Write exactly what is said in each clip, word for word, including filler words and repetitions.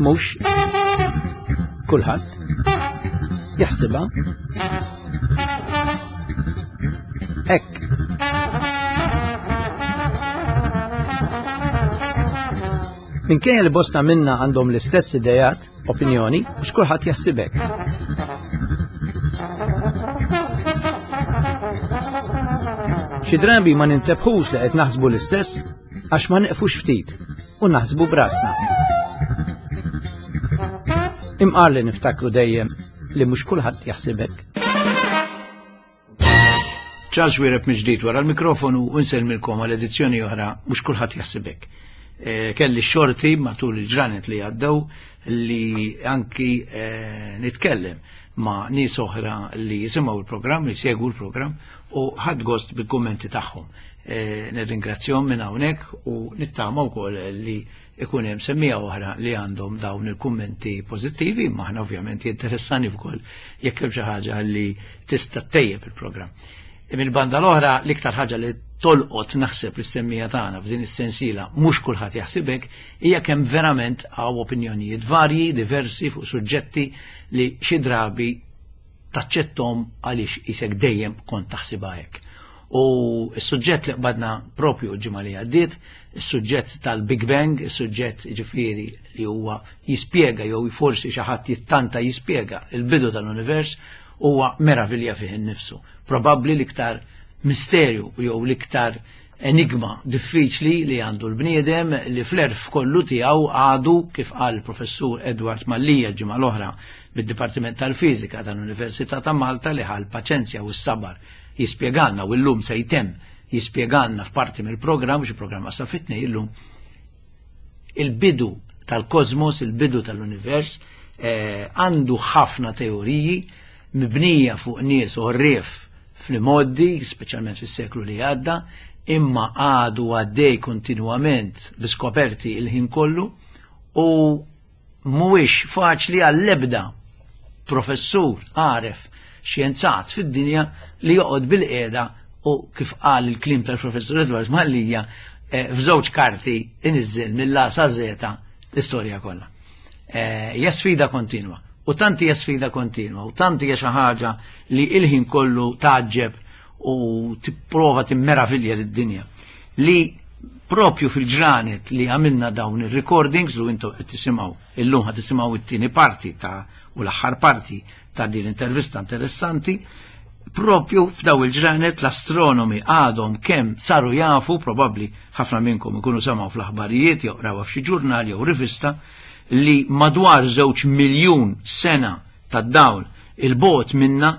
Mhux kulħadd jaħsibha hekk. Minkejja li bosta minna għandhom l-istess idejat, opinjoni, mhux kulħadd jaħsib hekk. Xi drabi ma nintebħux li qed naħsbu l-istess għax ma neqfux ftit u naħsbu brasna. Imqar li niftakru dejjem li mhux kulħadd jaħsib hekk. Charles Xuereb mill-ġdid wara l-mikrofonu u nsellmilkom għal edizzjoni oħra mhux kulħadd jaħsib hekk. Eh, kelli xorti matul il-ġranet li għaddew li anki eh, nitkellem ma' nies oħra li jisimgħu il-programm, li jsegwu l-programm u ħadt gost bil-kummenti tagħhom. Eh, nirringrazzjahom minn hawnhekk u nittama wkoll li ikun hemm semmiegħa oħra li għandhom dawn il-kummenti pożittivi, imma aħna ovvjament jinteressani wkoll jekk hemm xi ħaġa li tista' ttejjeb il-programm. Mill-banda l-oħra l-iktar ħaġa li tolqot naħseb lis-semmiegħa tagħna f'din is-sensiela mhux kulħadd jaħsib hekk hija kemm verament hawn opinjonijiet varji, diversi fuq suġġetti li xi drabi taċċettom għaliex isek dejjem kont taħsibha hekk. U s-suġġett li qbadna propju l-ġimgħa li għaddiet, is-suġġett tal-Big Bang, is-suġġett ġifieri li huwa jispjega jew forsi xi ħadd jittanta jispjega il-bidu tal-univers, huwa meravilja fih innifsu. Probabbli l-iktar misterju jew l-iktar enigma diffiċli li għandu l-bniedem li fl-erf kollu tiegħu għadu, kif qal il-professur Edward Mallia l-ġimgħa l-oħra mid-Dipartiment tal-Fiżika tal-Università ta' Malta, li ħa l-paċenzja u s-sabar jispjegalna u llum se jtemm jispjegalna f'parti mill-programm, xi programm sa fit-tnejn illum, il-bidu tal-kosmos, il-bidu tal-univers, eh, għandu ħafna teoriji mibnija fuq nies għorrief fl-modi, speċjalment fis-seklu li għadda, imma għadu għaddej kontinuament biskoperti il-ħin kollu u mhuwiex faċli għall-ebda professur għaref xjenzat fid-dinja li joqgħod bil-qiegħda u kif qal il-klim tal-professur Edward Mallia, eh, f'żewġ karti iniżżel mill-A sa Z l-istorja kollha. Eh, hija sfida kontinwa. U tanti hija sfida kontinwa, u tanti hija xi ħaġa li il-ħin kollu taġġeb u tipprova timmeravilja lid-dinja. Li propju fil-ġranet li għamilna dawn il-recordings, lu intom qed tisimgħu illum ħad tisimgħu it-tieni parti ta' u l-aħħar parti ta' din l-intervista interessanti, propju f'daw il-ġranet l-astronomi għadhom kemm saru jafu, probabbli ħafna minnkom ikunu semgħu fl-aħbarijiet jew qrawha f'xi ġurnal jew rivista, li madwar żewġ miljun sena tad-dawl il-bot minna,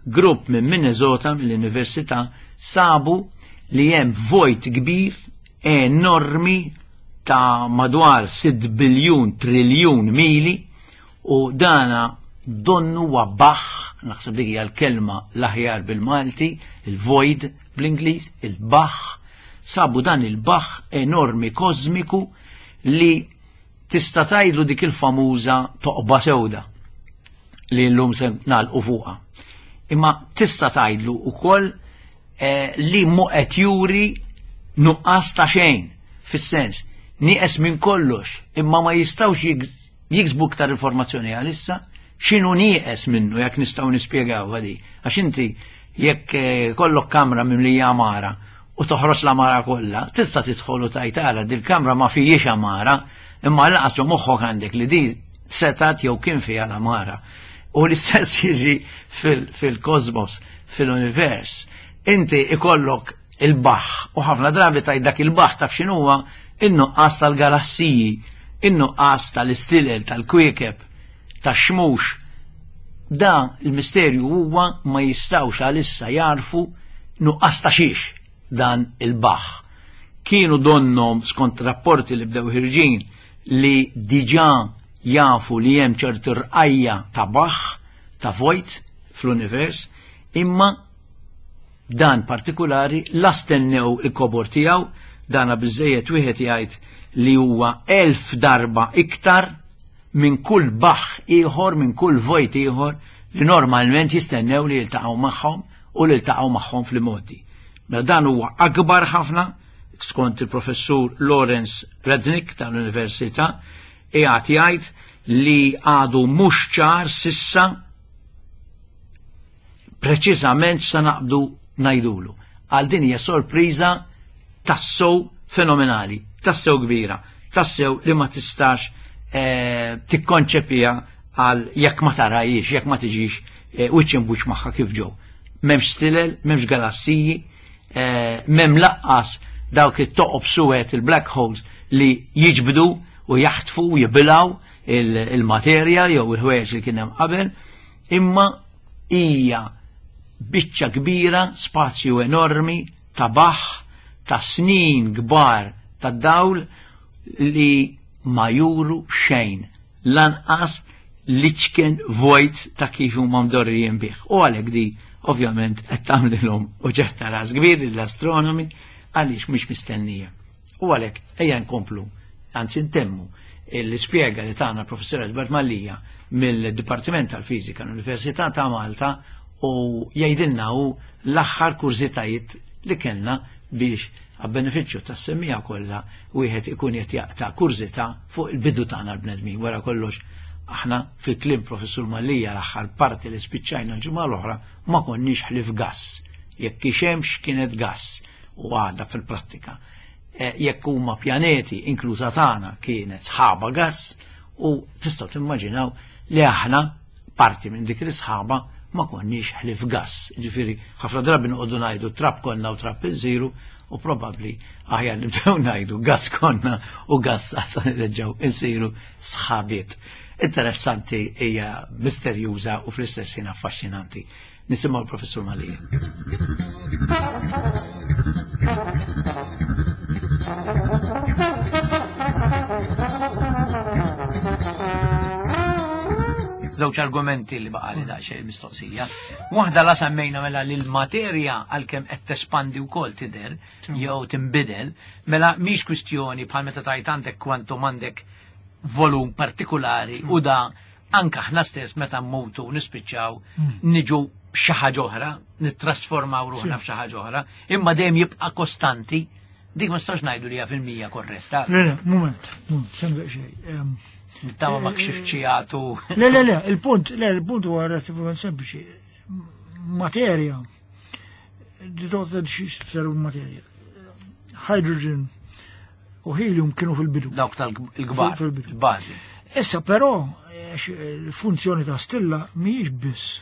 grupp minn Minnesota, mill-Università, sabu li hemm vojt kbir enormi ta' madwar sitt biljun triljun mili, u dana donnu wabaħ, naħseb dik hija l-kelma l-aħjar bil-Malti, il-void bl-Ingliż, il-baħ, sabu dan il-baħ enormi kosmiku li tista' tgħidlu dik il-famuża toqba sewda li llum se nagħlqu fuqha. Imma tista' tgħidlu wkoll, eh, li mu qed juri nuqqas ta' xejn, fis-sens nieqes minn kollox, imma ma jistgħux jig-, jiksbu iktar informazzjoni għalissa x'inhu nieqes minnu, jekk nistgħu nispjegaw għadi. Għax inti jekk, eh, kollok kamra mimlija għamara u toħroġ l-għamara kollha, tista' tidħol u tgħid ara dil-kamra ma fijiex għamara, imma lanqas ġo moħħok għandek li di setat jew kien fiha l-għamara. U l-istess jiġi fil-, fil-kosmos, fil-univers. Inti ikollok il-baħ u ħafna drabi tgħid dak il-baħ taf x'inhuwa in-nuqqas tal-galassiji, in-nuqqas tal-istilel, tal-kwiekeb, tax-xmux. Da il-misterju huwa ma jistgħux għalissa jarfu nuqqas ta' xiex dan il-baħ. Kienu donnom skont rapporti li bdew ħirġin li diġà jafu li hemm ċertu rqajja ta' baħ, ta' vojt fl-univers, imma dan partikulari la stennew il-kobor tiegħu, dana biżejjed wieħed jgħid li huwa elf darba iktar minn kull baħ ieħor, minn kull vojt ieħor li normalment jistennew li jiltaqgħu magħhom u li jiltaqgħu magħhom fl-modi. Mela dan huwa akbar ħafna, skont il-professur Lawrence Resnick tal-Università, qiegħed jgħid li għadu mhux ċar sissa preċiżament sa naqbdu ngħidulu. Għal din hija sorpriża tassew fenomenali, tassew kbira, tassew li ma tistax eh, tikkonċepija għal jekk ma tarajiex, jekk ma tiġix eh, wiċċ imbuċ magħha kif ġew. M'hemmx stilel, m'hemmx galassiji, eh, m'hemm laqqas dawk it-toqob suwed, il-black holes, li jiġbdu u jaħtfu u jibilaw il-materja jew il-ħwejjeġ li kien hemm qabel, imma hija biċċa kbira, spazju enormi ta' baħ, ta' snin kbar ta' dawl li ma juru xejn, lanqas l-iċken vojt ta' kif huma mdorrijin bih. U għalhekk di ovvjament qed tagħmlilhom uġigħ ta' ras kbir l-astronomi għaliex mhix mistennija. U għalhekk ejja nkomplu, anzi ntemmu l-ispjega li tagħna professor Edward Mallia mill-Dipartiment tal-Fiżika l-Università ta' Malta u jgħidilna hu l-aħħar kurżitajiet li kellna biex għab-benefiċċju tas-semmiegħa kollha wieħed ikun qed jaqta' kurżità fuq il-bidu tagħna l-bnedmin. Wara kollox aħna fil-kliem professur Mallia l-aħħar parti li spiċċajna l-ġimgħa l-oħra ma konniex ħlief gass. Jekk xemx kienet gass u għadha fil-prattika. Jekk huma pjaneti inkluża tagħna kienet sħaba gass u tistgħu timmaġinaw li aħna parti minn dik l-sħaba ma konniex ħlief gass. Ġifieri ħafna drabi noqogħdu ngħidu trab konna u trab insiru u probabbli aħjar nibdew ngħidu gass konna u gass għad nerġgħu insiru sħabiet. Interessanti, hija misterjuża u fl-istess ħin affaxxinanti. Nisimgħu l-Professur Mallia. Żewġ argumenti li baqali daqsxejn mistoqsija. Waħda la semmejna mela li l-materja għalkemm qed tespandi wkoll tidher jew tinbidel, mela mhix kwistjoni bħal meta tajt għandek kwantum, għandek volum partikolari u da anka aħna stess meta mmutu nispiċċaw niġu xi ħaġa oħra, nittrasformaw ruħna f'xi ħaġa oħra, imma dejjem jibqa' kostanti. Dik ma nistax ngħidu li hija fil-mija korretta. Le, le, moment, moment, semmi xejn. Nittama ma kxifċijatu. Le, le, le, il-punt, le, il-punt huwa relattivament sempliċi. Materja, di toqgħod xi tseru materja. Hydrogen u helium kienu fil-bidu. Dawk tal-kbar, Fil-bidu. il-bażi. Issa però, il-funzjoni ta' stilla mhijiex biss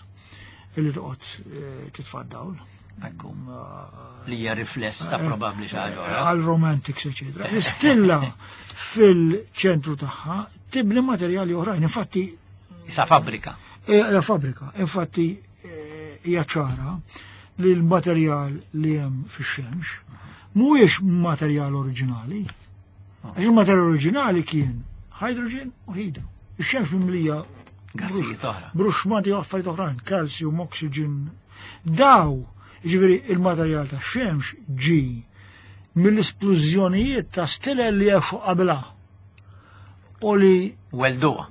li toqgħod eh, titfa' dawl. Ekku. Li hija rifless ta' probabbli xi ħaġa oħra. Għal romantics, eccetera. L-istilla fil-ċentru tagħha tibni materjali oħrajn. Infatti Sa fabbrika. hija fabbrika. Infatti eh, hija ċara li l-materjal li hemm fix-xemx mhuwiex materjal oriġinali. Għax il-materjal oriġinali kien hydrogen u helium. Ix-xemx mimlija Gassijiet oħra. bruxmati u affarijiet oħrajn, calcium, oxygen. Daw, ġifieri il-materjal ta' xemx ġi mill-esplużjonijiet ta' stilel li għexu qabla u li Welduha.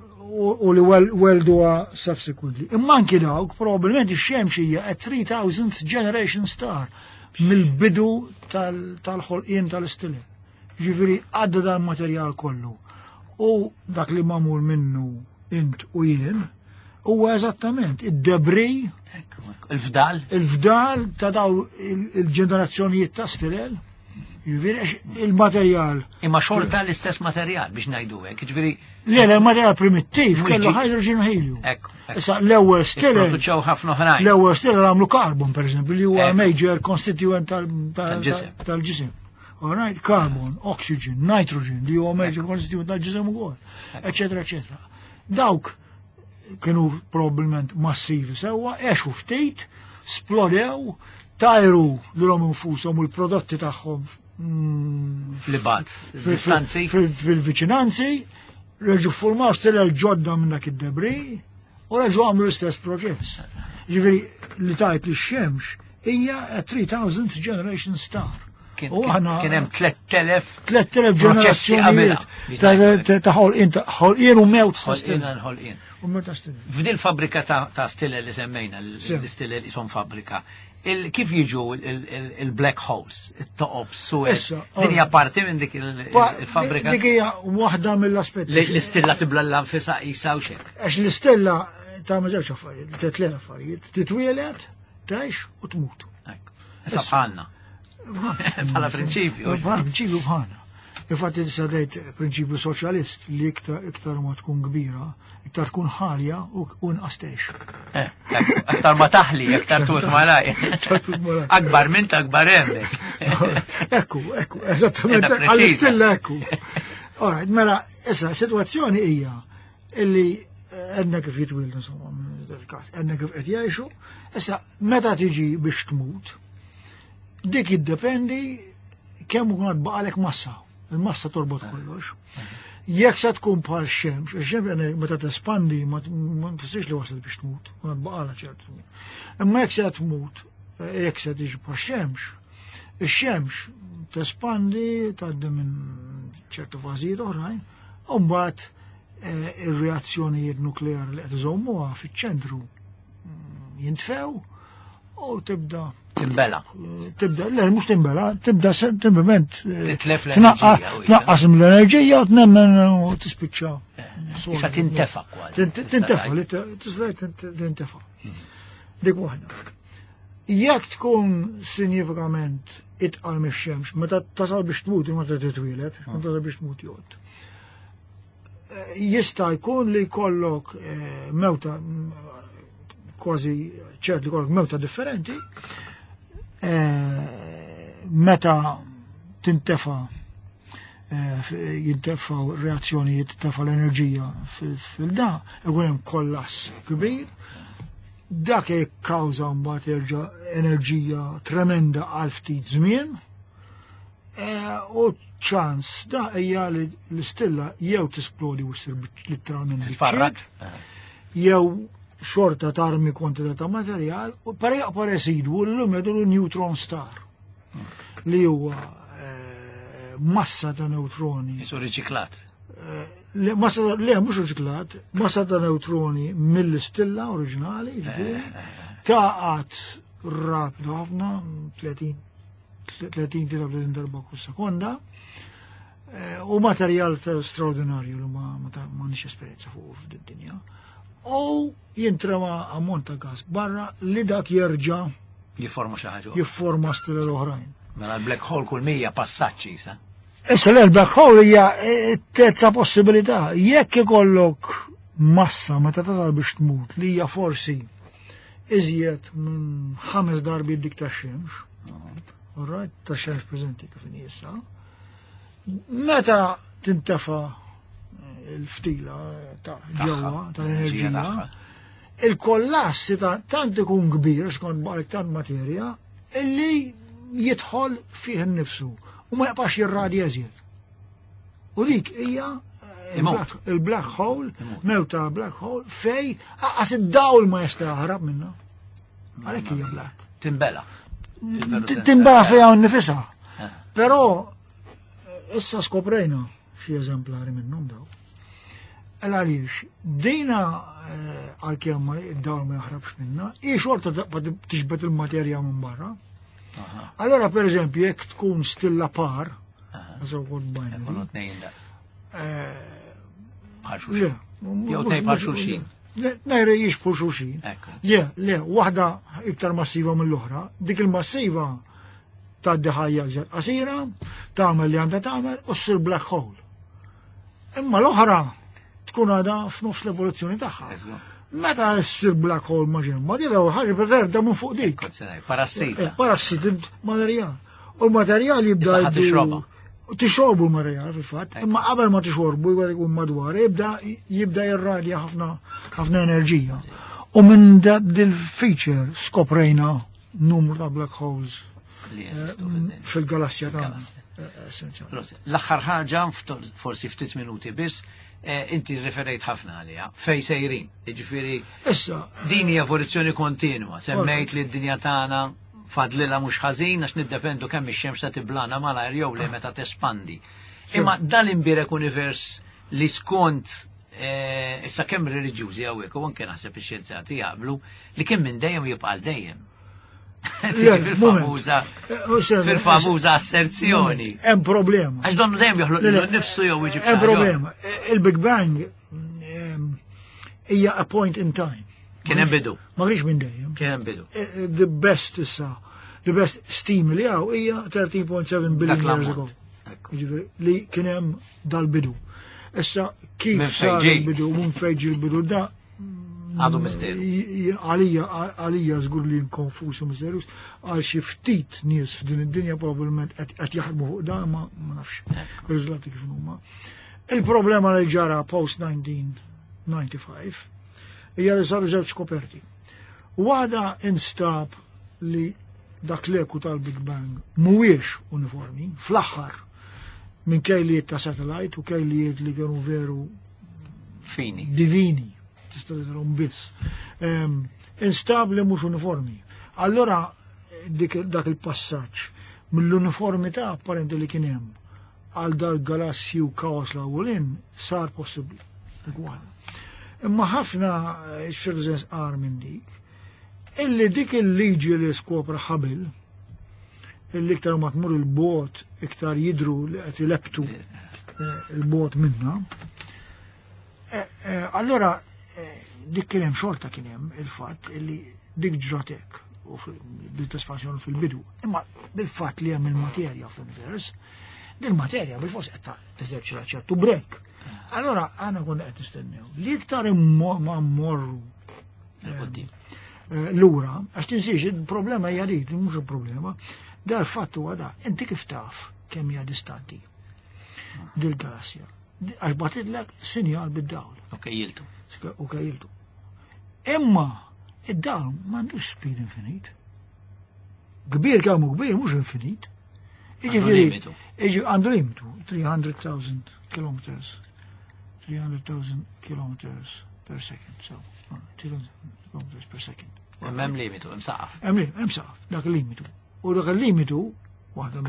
u li wel- welduha subsequently. Imma anki dawk probabbilment ix-xemx hija a three thousandth generation star mill-bidu tal- tal-ħolqien tal-istilel. Ġifieri għadda dan materjal kollu. U dak li magħmul minnu int u jien huwa eżattament id-debris, Ekku, ekku. Il-fdal. il-fdal ta' daw il- il-ġenerazzjonijiet ta' stilel. Ġifieri għax il-materjal. Imma xorta l-istess materjal biex ngħidu hekk, ġifieri Le, le, il-materjal primittiv Mhux kellu ġi- hydrogen u helium. Ekku, ekku. Issa l-ewwel stilel Ipproduċew ħafna oħrajn. L-ewwel stilel għamlu carbon, per eżempju, li huwa Ekku. major constituent tal- tal- Tal-ġisem. tal-ġisem. All right, carbon, oxygen, nitrogen, li huwa major constituent tal-ġisem ukoll, eccetera, eccetera. Dawk kienu probabbilment massivi sewwa, għexu ftit, splodew, tajru lilhom infushom u l-prodotti tagħhom mm, Fl-ibat, fil- distanzi. fil- fil-viċinanzi, reġu formaw stilel ġodda minn dak id-debris u reġu għamlu l-istess proċess. Ġifieri li tajt li x-xemx hija a three thousandth generation star. Kien U aħna- kien hemm tlett elef tlett elef proċessi qabelha. ġenerazzjonijiet ta' ħolqien ta' ħolqien u mewt ta' Ħolqien stilla. għal ħolqien. U mewt ta' stilla. F'dil fabbrika ta' ta' stilla li semmejna, Sì. l-istilla li son fabbrika, il- kif jiġu il- il- il-black holes, it-toqob suwed? Issa, Din hija ora. parti minn dik il- Pa- il-fabbrika? Dik hija waħda mill-aspetti. Li l-istilla tibla l-anfisa jisa u xek. Għax l-istella ta' żewġ affarijiet, ta' tliet affarijiet, titwielet, tgħix u tmut. Issa bħalna. Bħala prinċipju. Bħala prinċipju bħalna. Infatti tista' tgħid prinċipju soċjalist li iktar iktar ma tkun kbira, iktar tkun ħalja u u inqas tgħix. Eh, ekku, aktar ma taħli, aktar tmut malaj. Aktar tmut malaj. Akbar minn ta' akbar hemmhekk. Ekku, ekku, eżattament, Edha preċiża. għall-istilla ekku. Alright, mela, issa, situazzjoni hija illi għedna kif jitwildu, insomma, minn dal-każ, għedna kif qed jgħixu, issa, meta tiġi biex tmut, dik jiddependi kemm ikun għad baqalek massa. Il-massa torbot kollox. Jekk se tkun bħal xemx, ix-xemx għana meta tespandi ma ma tfissirx li wasal biex tmut, kun għad baqala ċertu. Imma jekk se tmut, jekk se tiġi bħal xemx, ix-xemx tespandi tgħaddi minn ċertu fażijiet oħrajn, u mbagħad eh, ir-reazzjonijiet nukleari li qed iżommuha fiċ-ċentru mm, jintfew u tibda Timbela. Tibda, le, mhux timbela, tibda sempliment eh, Titlef l-enerġija, u tnaqqas mill-enerġija u tnemmen u tispiċċa. Issa tintefa kważi. Tint- Tintefa, li tista' tintefa. Dik waħda. Jekk tkun sinjifikament itqal mix-xemx, meta tasal biex tmut, meta titwielet, meta tasal biex tmut jgħod. Eh, Jista' jkun li jkollok eh, mewta mm, kważi ċert li jkollok mewta differenti, eh, meta tintefa eh, f- jintefaw reazzjonijiet tefa l-enerġija fil-da, ikun hemm kollass kbir, dak jikkawża mbagħad jerġa' enerġija tremenda għal ftit żmien, eh, u ċans da hija li l-istilla jew tisplodi u ssir biċ- letteralment Titfarrak. biċċiet, jew xorta tarmi kwantità ta' materjal, u pare jaqpa residwu l-lum jgħidulu neutron star, li huwa eh, massa ta' neutroni. Jisu riċiklat. Le, massa ta' le, mhux riċiklat, massa ta' neutroni mill-istilla oriġinali, ġifieri, taqat rapidu ħafna, tletin tletin darba kull sekonda, eh, u materjal ta' straordinarju li ma ma ta' ma nix esperjenza fuq fid-dinja. U jintrema ammont ta' gas barra li dak jerġa' Jiforma xi ħaġa. jifforma stilel oħrajn. Mela l-black hole kull mija passaġġi sa. Issa l-black hole hija eh, terza possibilità. Jekk ikollok massa meta tasal biex tmut li hija forsi iżjed minn ħames darbi dik ta' xemx, alright, ta' xemx preżenti kif inhi issa, meta tintefa il-ftila ta' ġewwa tal-enerġija, tagħha. Il-kollass ta' tant ikun kbir skont baqalek tant materja illi jidħol fih innifsu u ma jaqbax jirradja eżjed. U dik hija eh, Imut. il-black- il-black hole, Imut. mewta black hole, fej aqas id-dawl ma jista' jaħrab minna. Għalhekk hija black. Timbela. Timbela fejha nifisha. Eh. Però eh, issa skoprejna xi eżemplari minnhom daw. Għaliex, dina eh, għalkemm ma id-dawl ma jaħrabx minna, hi xorta taqba tixbet il-materja minn barra. Allora, per eżempju, jekk tkun stilla par, so called binary, Ikunu tnejn da. eh, Bħal le, xulxin. Jew tnejn bħal xulxin. Le, nejre jixbħu xulxin. Ekku. Le, le, waħda iktar massiva mill-oħra, dik il-massiva tgħaddi ħajja iżjed qasira, tagħmel li għandha tagħmel u ssir black hole. Imma l-oħra tkun għadha f'nofs l-evoluzzjoni tagħha. Eżgu. Meta ssir black hole ma ġemma, di l-ewwel ħaġa terda minn fuq dik. Kont se ngħid, Parassita. Eh, Parassiti materjal. U l-materjal jibda Issa ħa jiddu- tixrobha. Tixorbu l-materjal fil-fatt, imma qabel ma tixorbu jgħid ikun madwar, jibda jibda jirradja ħafna ħafna enerġija. U minn da dil-feature skoprejna numru ta' black holes Li eh, jeżistu fid-dinja. fil-galassja tagħna. Fil-galassja. eh, Essenzjali. Prosit. L-aħħar ħaġa, fto- forsi ftit minuti biss, eh, inti referejt ħafna għaliha, fej sejrin. Jiġifieri Issa, din hija evoluzzjoni kontinwa. Semmejt li d-dinja tagħna Fadlilha mhux ħażin għax niddependu kemm ix-xemx ta' tiblana malajr jew le meta tespandi. Imma dal-imbirek univers li skont eh, issa kemm reliġjużi hawnhekk u anke naħseb ix-xjenzati jaqblu li kien minn dejjem jibqa' dejjem. Fil-famuża eh, fil-famuża asserzjoni. Hemm problema. Għax donnu dejjem joħloq nifsu jew jiġi Hemm problema. Il-Big Bang ehm, hija a point in time. Kien hemm bidu. Ma kienx minn dejjem. Kien hemm bidu. Eh, eh, the best issa, the best steam li hawn hija thirteen point seven billion years ago. Jiġifieri li kien hemm dal-bidu. Issa kif sar il-bidu, minn fejn il-bidu da għadu misteru. Għalija, għalija żgur li konfus u misterjuż, għal xi ftit nies f'din id-dinja probabbilment qed jaħdmu fuq da, ma ma nafx riżultati kif huma. Il-problema li ġara post elf disa' mija u disgħa u disgħin hija li saru żewġ skoperti. Waħda, instab li dak l-eku tal-Big Bang mhuwiex uniformi, fl-aħħar minn kejlijiet ta' satellite u kejlijiet li kienu veru fini. Divini, tista' tarahom biss. Instab li mhux uniformi. Allora dik, dak il-passaġġ mill-uniformità apparenti li kien hemm għal dal-galassji u kaos l sar possibbli. Dik waħda. Imma ħafna x'f'ċertu sens qar minn dik, illi dik il-liġi li skopra Hubble, illi iktar ma tmur il-bogħod, iktar jidru li qed ileptu eh, il-bogħod minna. Eh, eh, allora dik kien hemm xorta kien hemm il-fatt illi dik ġratek u bil-espansjoni fil-bidu. Imma bil-fatt li hemm il-materja fl-univers, dil-materja bil-fors qed teżerċita ċertu brake. Allora għana konna qed nistennew li iktar ma mmorru lura, għax tinsiex il-problema hija dik, mhux il-problema, dal fatt huwa da, inti kif taf kemm hija distanti dil-galassja? Għax bagħtitlek sinjal bid-dawl. U kejjiltu. U kejjiltu. Imma id-dawl m'għandux speed infinit. Kbir kemm hu kbir, mhux infinit. Jiġifieri, għandu limitu, tliet mitt elf kilometers. three hundred thousand kilometers per second. So, three hundred kilometers per second. Hemm limitu, hemm saqaf. Hemm hemm saqaf, dak il-limitu. U dak il-limitu, waħda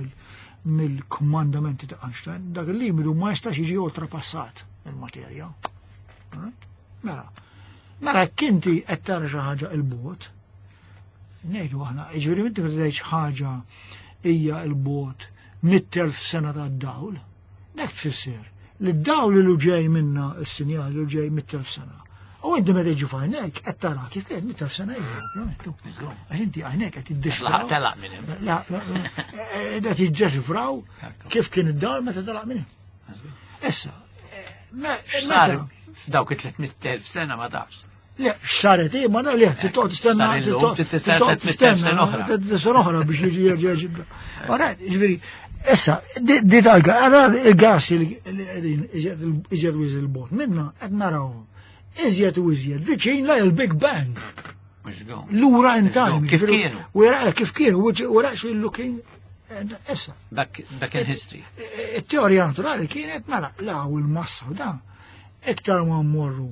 mill-komandamenti ta' Einstein, dak il-limitu ma jistax jiġi oltrapassat il-materja. Mela, mela kinti qed tara xi ħaġa il-bogħod, ngħidu aħna, jiġifieri inti meta tgħid ħaġa hija il-bogħod mitt elf sena ta' dawl, dak tfisser li d-dawl li ġej minna, s-sinjal li ġej mitt elf sena. U inti meta jiġu f'għajnejk qed tara kif kien mitt elf sena ilu, ovvjament. Għax inti għajnejk qed iddexxifraw. Telaq minn hemm. Qed jiddexxifraw kif kien id-dawl meta telaq minn hemm. Issa, Sar f'dawk it-tliet mitt elf sena ma tafx. Le, x'saret, eh, ma le, tittoq tistenna, tistenna tistenna sena oħra biex jiġi jerġa' ġibda. Ora, ġifieri, issa, di tal il-gas li qegħdin iżjed u iżjed il-bogħod minna qed narawhom iżjed u iżjed viċin la il-Big Bang. Lura in time. Kif kienu? Wera kif kienu, we're actually looking issa. Back, back in history. Il-teorija naturali kienet mela, la u l-massa u dan. Iktar ma mmorru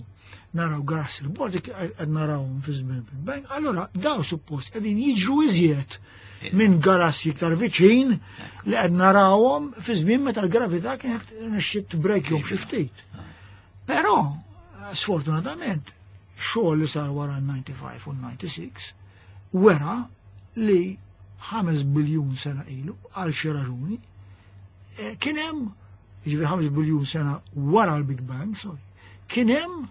naraw gas il-bogħod qed narawhom fi żmien Big Bang, allora daw suppost qegħdin jiġru iżjed minn galassi iktar viċin li qed narawhom fi żmien meta l-gravità kienet nexxiet breakjhom xi ftit. Però, sfortunatament, xogħol li sar wara l-disgħa u disgħin u disgħa u disgħin wera li ħames biljun sena ilu għal xi raġuni eh, kien hemm, jiġifieri ħames biljun sena wara l-Big Bang, sorry, kien hemm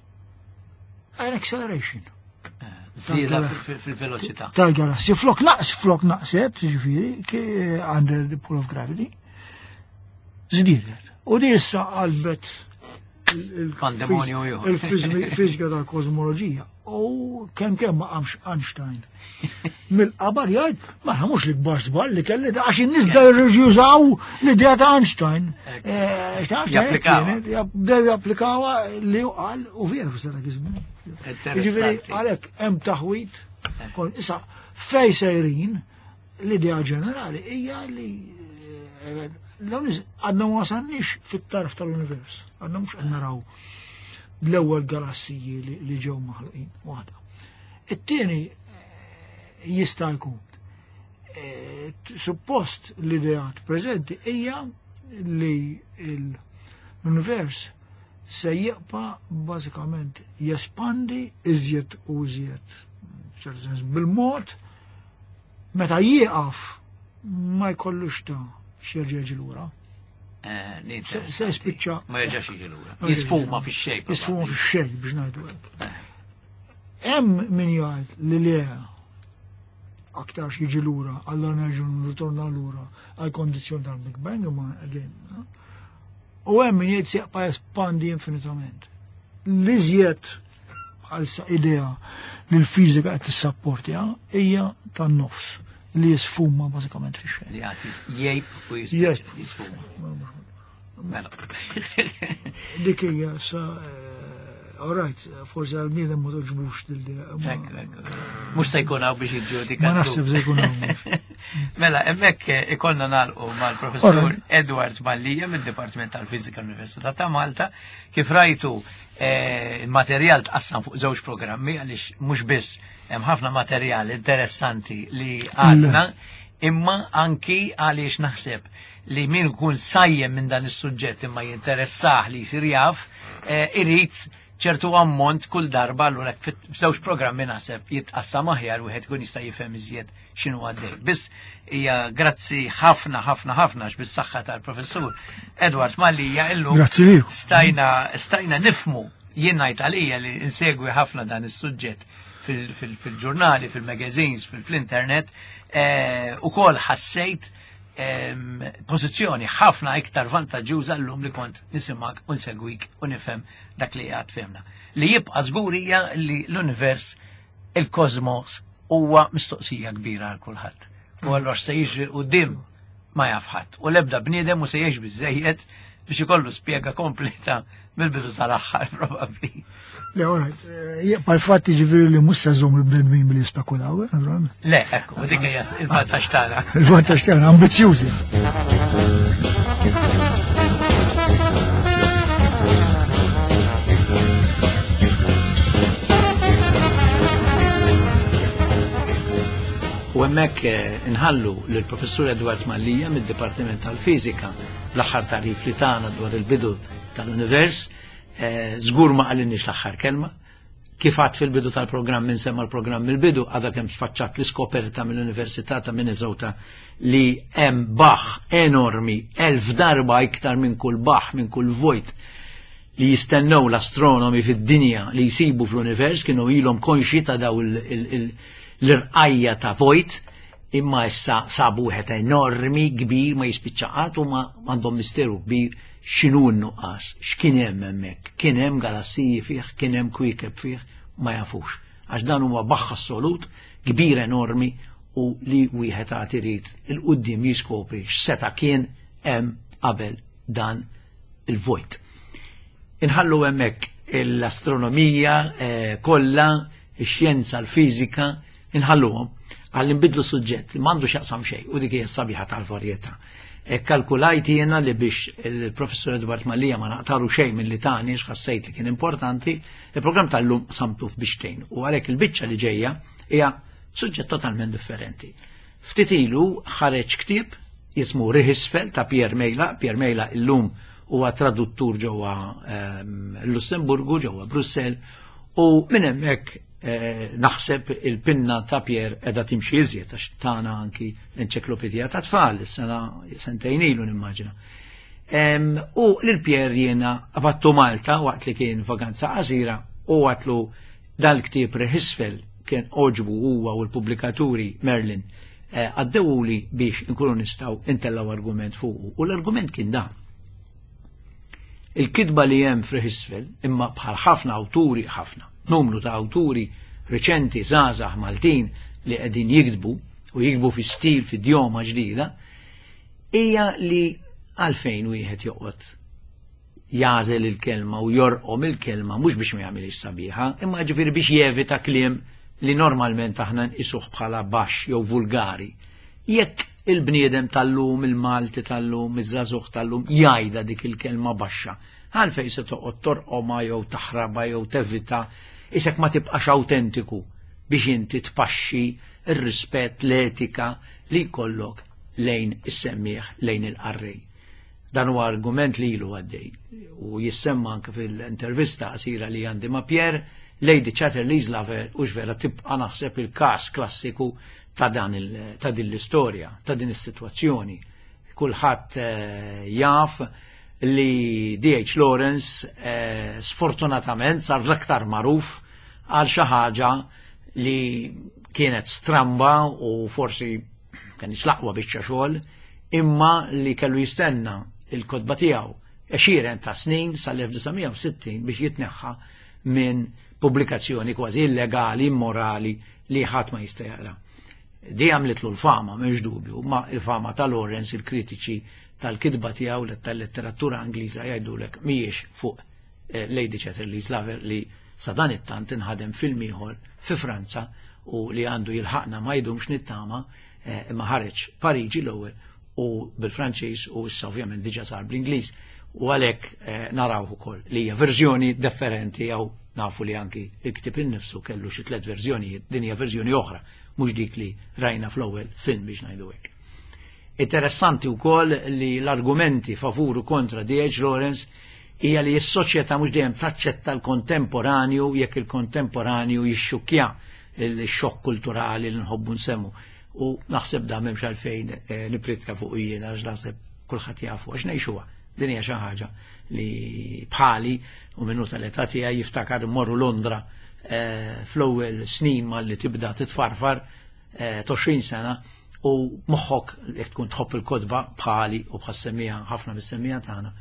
an acceleration. Żieda fil-veloċità. Tal-galassi. Flok naqs, flok naqset, ġifieri, under the pull of gravity, żdiedet. U di issa qalbet Pandemonju ieħor. il-fiżika tal-kosmoloġija. U kemm kemm ma qamx Einstein mill-qabar jgħid, ma mhux l-ikbar żball li kelli da, għax in-nies bdew jużaw l-idea ta' Einstein. Eh, ta' Einstein Japplikawha. kienet, bdew japplikawha li hu qal u veru sa dak iż-żmien. Jiġifieri Interessanti. għalhekk hemm taħwit. Kon issa fej sejrin, l-idea ġenerali hija li eh, dawn is- għadna ma wasalniex fit-tarf tal-univers. Għadna mhux qed naraw l-ewwel galassiji li, li ġew maħluqin waħda. It-tieni eh, jista' jkun Suppost l-ideat preżenti hija li l-univers se jibqa' bażikament jespandi iżjed u iżjed, f'ċertu sens bil-mod, meta jieqaf ma jkollux ta' x'jerġa' jiġi lura. Se jispiċċa. Ma jerġax jiġi lura. Jisfuma fix-xejn. Jisfuma fix-xejn biex ngħidu hekk. Hemm min jgħid li le aktarx jiġi lura, allura nerġgħu nritorna lura għal kondizzjoni tal-Big Bang, imma again. U hemm min jgħid se jibqa' jespandi infinitament. L-iżjed bħalissa idea li l-fiżika qed tissapportja hija tan-nofs li jisfuma bażikament fix-xejn. Li jagħti jgħib u jisfuma. Mela. Dik hija sa all right, forsi għal-bniedem ma toġbux dil-idea. Mhux se jkun hawn biex jiġġudika. Ma naħseb se jkun hawn. Mela, hemmhekk ikollna nagħlqu mal-Professur Edward Mallia mid-Dipartiment tal-Fiżika l-Università ta' Malta. Kif rajtu, il-materjal tqassam fuq żewġ programmi għaliex mhux biss hemm ħafna materjal interessanti li għadna, imma anki għaliex naħseb li min ikun sajjem minn dan is-suġġett imma jinteressah li jsir jaf, irid ċertu ammont kull darba, allura f'żewġ programmi naħseb jitqassam aħjar wieħed ikun jista' jifhem iżjed x'inhu għaddej. Biss hija grazzi ħafna ħafna ħafna għax bis-saħħa tal-Professur Edward Mallia illum stajna stajna nifmu, jien ngħid għalija li insegwi ħafna dan is-suġġett fil-ġurnali, fil-magazines, fil-internet, ukoll ħassejt pożizzjoni ħafna iktar vantaġġuża llum li kont nisimak u nsegwik u nifhem dak li għad fehmna. Li jibqa' żgur hija li l-univers, il-kosmos, huwa mistoqsija kbira għal kulħadd. U allura se jiġri quddiem ma jaf ħadd. U l-ebda bniedem u se jgħix biżejjed biex ikollu spjega kompleta mill-bidu sal-aħħar probabbli. Le, all right, jibqa' l-fatt jiġifieri li mhux se żomm il-bnedmin billi jispekulaw, naturalment. Le, ekku, u dik hija il-vantaġġ tagħna. Il-vantaġġ tagħna, ambizzjużi. U hemmhekk inħallu lill-Professur Edward Mallia mid-Dipartiment tal-Fiżika l-aħħar tarif li tagħna dwar il-bidu tal-univers. Żgur ma qalinniex l-aħħar kelma. Kif għad fil-bidu tal-programm insemma l-programm il-bidu, għadha kemm sfaċċat l-iskoperta mill-Università ta' Minnesota li hemm baħ enormi, elf darba iktar minn kull baħ, minn kull vojt li jistennew l-astronomi fid-dinja li jsibu fl-univers, kienu ilhom konxi ta' daw l-irqajja ta' vojt, imma issa sabu wieħed enormi, kbir, ma jispiċċaqat u ma għandhom misteru kbir x'inhu n-nuqqas, x'kien hemm hemmhekk, kien hemm galassiji fih, kien hemm kwiekeb fih, ma jafux. Għax dan huwa baħħ assolut, kbir enormi u li wieħed għad irid il-quddiem jiskopri x'seta' kien hemm qabel dan il-vojt. Inħallu hemmhekk l-astronomija kollha, ix-xjenza, l-fiżika, inħalluhom għal nbidlu suġġett li m'għandu x'jaqsam xejn u dik hija s-sabiħa tal-varjetà. Kalkulajt jiena li biex il-Professur Edward Mallia ma naqtaru xejn mill-li tani x'ħassejt li kien importanti, il-programm tal-lum samtu f'biċtejn u għalhekk il-biċċa li ġejja hija suġġett totalment differenti. Ftit ilu ħareġ ktieb jismu Riħisfel ta' Pierre Mejla. Pierre Mejla illum huwa traduttur ġewwa Lussemburgu, ġewwa Brussell, u minn hemmhekk naħseb il-pinna ta' Pierre edha timxi iżjed għax tagħna anki l-enċiklopedija ta' tfal is-sena sentejn ilu nimmaġina. U lil Pierre jiena qabattu Malta waqt li kien vaganza qasira u għatlu dal-ktieb Riħisfel kien oġbu huwa u l-pubblikaturi Merlin għaddewuli biex inkunu nistgħu intellaw argument fuqu. U l-argument kien dan. Il-kitba li hemm f'Riħisfel imma bħal ħafna awturi ħafna, numru ta' awturi reċenti żgħażagħ Maltin li qegħdin jiktbu u jiktbu fi stil fi idjoma ġdida, hija li għalfejn wieħed joqgħod jażel il-kelma u jorqom il-kelma mhux biex ma jagħmilx sabiħa, imma ġifieri biex jevita kliem li normalment aħna nqisuh bħala baxx jew vulgari. Jekk il-bniedem tal-lum, il-Malti tal-lum, iż-żagħżugħ tal-lum jgħidha dik il-kelma baxxa, għalfejn se toqgħod torqomha jew taħrabha jew tevita, isek ma tibqax autentiku biex inti tpaxxi ir-rispett, l-etika li jkollok lejn is-semmiegħ, lejn il-qarrej. Dan huwa argument li ilu għaddej u jissemma anke fil-intervista qasira li għandi ma' Pierre. Lady Chatterley's Lover u vera tibqa' naħseb il-każ klassiku ta' dan ta' din l-istorja, ta' din is-sitwazzjoni. Kulħadd eh, jaf li D H. Lawrence eh, sfortunatament sar l-aktar magħruf għal xi ħaġa li kienet stramba u forsi kienx l-aqwa biċċa xogħol, imma li kellu jistenna il-kotba tiegħu għexieren ta' snin sal-elf disa' mija u sittin biex jitneħħa minn pubblikazzjoni kważi illegali, immorali, li ħadd ma jista' jaqra. Di għamlitlu l-fama, m'hemmx dubju, ma il-fama ta' Lawrence, il-kritiċi tal-kitba tiegħu tal-letteratura Ingliża jgħidulek mhijiex fuq eh, Lady Chatterley's Lover, li sa dan it-tant inħadem film ieħor fi Franza u li għandu jilħaqna ma jdumx nittama, eh, imma ħareġ Pariġi l-ewwel u bil-Franċiż u issa ovvjament diġà sar bl-Ingliż u għalhekk eh, naraw ukoll li hija verżjoni differenti, jew nafu li anki il-ktib innifsu kellu xi tliet verżjonijiet, din hija verżjoni oħra, mhux dik li rajna fl-ewwel film, biex ngħidu hekk. Interessanti wkoll li l-argumenti favur u kontra D H. Lawrence hija li s-soċjetà mhux dejjem taċċetta l-kontemporanju jekk il-kontemporanju jixxukkja, il-xokk kulturali li nħobbu nsemmu. U naħseb da m'hemmx għalfejn eh, nipritka fuq jiena, għax naħseb kulħadd jafu għax ngħixuha. Din hija xi ħaġa li bħali u minnu tal-età tiegħi jiftakar morru Londra eh, fl-ewwel snin malli tibda titfarfar eh, għoxrin sena u moħħok, jekk tkun tħobb il-kotba bħali u bħas-semmiegħa, ħafna mis-semmiegħa tagħna,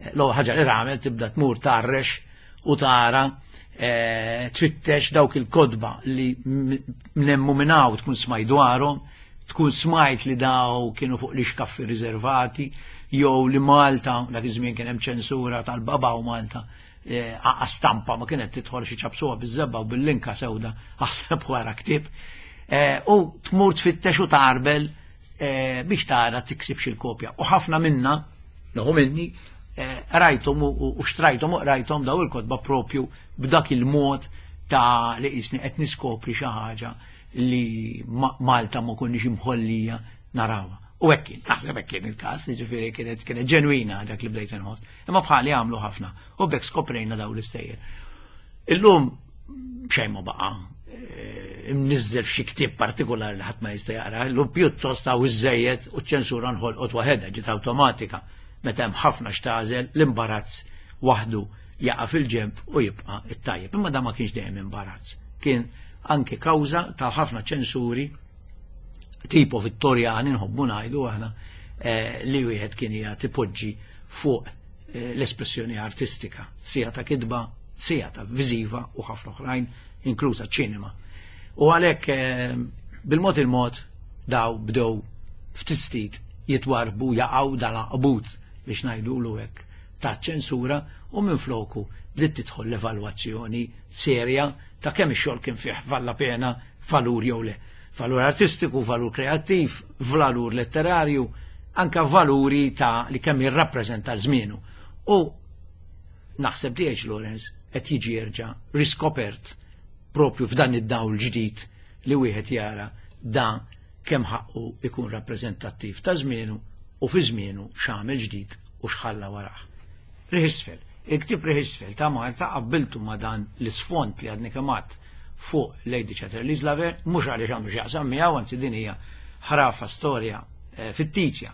l-ewwel ħaġa li tagħmel tibda tmur tarrex u tara, tfittex dawk il-kotba li mnemmu minnaw tkun smajt dwarhom, tkun smajt li daw kienu fuq l-ixkaffi riservati, jew li Malta, dak iż-żmien kien hemm ċensura tal-baba u Malta, eh, stampa ma kienet tidħol, xi ċapsuha biż-żebgħa u bil-linka sewda, aħseb wara ktieb. Eh, u tmur tfittex u tarbel eh, biex tara tiksibx il-kopja. U ħafna minna, noħu minni, rajthom u xtrajthom u rajthom daw il-kotba propju b'dak il-mod ta' li jisni qed niskopri xi ħaġa li Malta ma konniex imħollija narawha. U hekk kien, naħseb hekk kien il-każ, jiġifieri kienet kienet ġenwina dak li bdejt inħoss. Imma bħali għamlu ħafna u bekk skoprejna daw l-istejjer. Illum xejn ma baqa' eh, imnizzel f'xi ktieb partikolari li ħadd ma jista' jaqra, illum pjuttost hawn iżejjed u ċ-ċensura nħolqot waħedha, ġiet awtomatika. Meta hemm ħafna x'tagħżel, l-imbarazz waħdu jaqa' fil-ġemp u jibqa' it-tajjeb. Imma da ma kienx dejjem imbarazz. Kien anke kawża ta' ħafna ċensuri tipo Vittorjani, nħobbu ngħidu aħna, eh, li wieħed kien jagħti poġġi fuq eh, l-espressjoni artistika, sija ta' kitba, sija ta' viżiva u ħafna oħrajn, inkluża ċinema. U għalhekk eh, bil-mod il-mod daw bdew ftit ftit jitwarbu, jaqgħu dal-qbut, biex ngħidu hekk, ta' ċensura u minn floku bdiet tidħol l-evalwazzjoni serja ta' kemm ix-xogħol kien fih valla pena, valur jew le. Valur artistiku, valur kreattiv, valur letterarju, anka valuri ta' li kemm jirrappreżenta l-żmienu. U naħseb D H. Lawrence qed jiġi jerġa' riskopert propju f'dan id-dawl ġdid li wieħed jara da kemm ħaqqu ikun rappreżentattiv ta' żmienu u fi żmienu x'għamel ġdid u x'ħalla warah. Riħ Isfel. Il-ktib Riħ Isfel ta' Malta qabbiltu ma' dan l-isfond li għadni kemm għedt fuq Lady Chatterley's Lover, mhux għaliex għandu x'jaqsam miegħu, anzi din hija ħrafa, storja eh, fittizja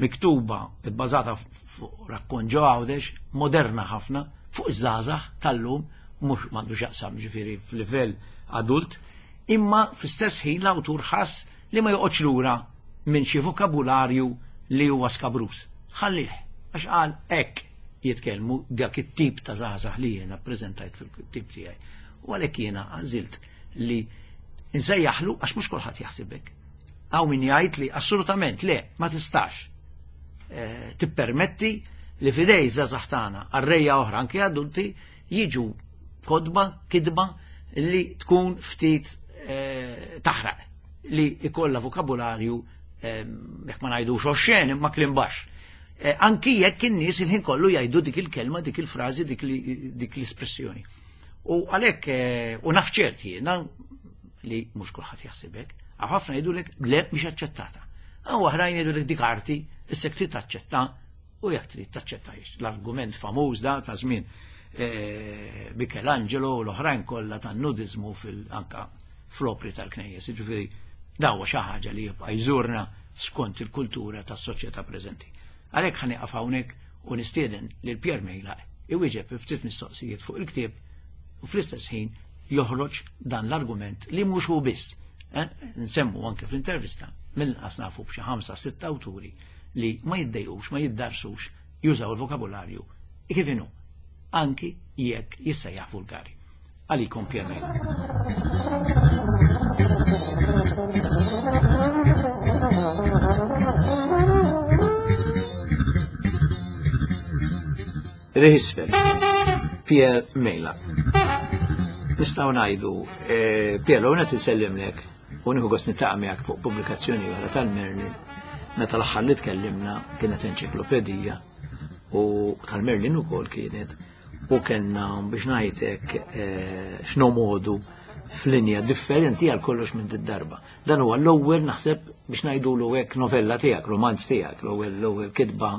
miktuba bbażata fuq rakkont ġo Għawdex, moderna ħafna, fuq iż-żgħażagħ tal-lum, mhux m'għandu x'jaqsam ġifieri f'livell adult, imma fl-istess ħin l-awtur ħass li ma joqgħodx lura minn xi vokabularju li huwa skabrus. Ħallih, għax qal hekk jitkellmu dak it-tip ta' żgħażagħ li jiena ppreżentajt fil-tip tiegħi. U għalhekk jiena għażilt li nsejjaħlu, għax mhux kulħadd jaħsibek. Hawn min jgħid li assolutament le, ma tistax eh, tippermetti li f'idejn żgħażagħ tagħna, qarrejja oħra, anke adulti, jiġu kotba, kitba li tkun ftit eh, taħraq, li ikolla vokabularju, eh, jekk ma ngħidux oxxen, imma kliem baxx. Eh, anki jekk in-nies il-ħin kollu jgħidu dik il-kelma, dik il-frażi, dik li- dik l-espressjoni. U għalhekk eh, u naf ċert jiena li mhux kulħadd jaħsibek, Għaw ħafna jgħidulek le mhix aċċettata. Għaw oħrajn jgħidulek dik arti, issa trid taċċetta u jekk trid taċċettajx. L-argument famuż da ta' żmien eh, Michelangelo u l-oħrajn kollha tan-nudizmu fil-anka fl-opri tal-knejjes. Jiġifieri daw xi ħaġa li jibqa' jżurna skont il-kultura tas-soċjetà preżenti. Għalhekk ħa nieqaf hawnhekk u nistieden lil Pierre Meilaq iwieġeb ftit mistoqsijiet fuq il-ktieb u fl-istess ħin joħroġ dan l-argument li mhux hu biss. Eh? Nsemmu anke fl-intervista mill-inqas nafu b'xi ħamsa sitt awturi li ma jiddejqux, ma jiddarsux jużaw il-vokabularju kif inhu, anki jekk jissejjaħ vulgari. Għalikom Pierre Meilaq. Riħ Isfel, Pierre Meilaq. Nistgħu ngħidu, eh, Pierre, l-għuna tisellimlek u nieħu gost niltaqa' miegħek fuq pubblikazzjoni oħra tal-Merlin. Meta l-aħħar li tkellimna kienet enċiklopedija u tal-Merlin ukoll kienet u kellna biex ngħidlek eh, x'nomodu f'linja differenti għal kollox minn darba. Dan huwa l-ewwel naħseb biex ngħidulu hekk novella tiegħek, romanz tiegħek, l-ewwel l-ewwel kitba.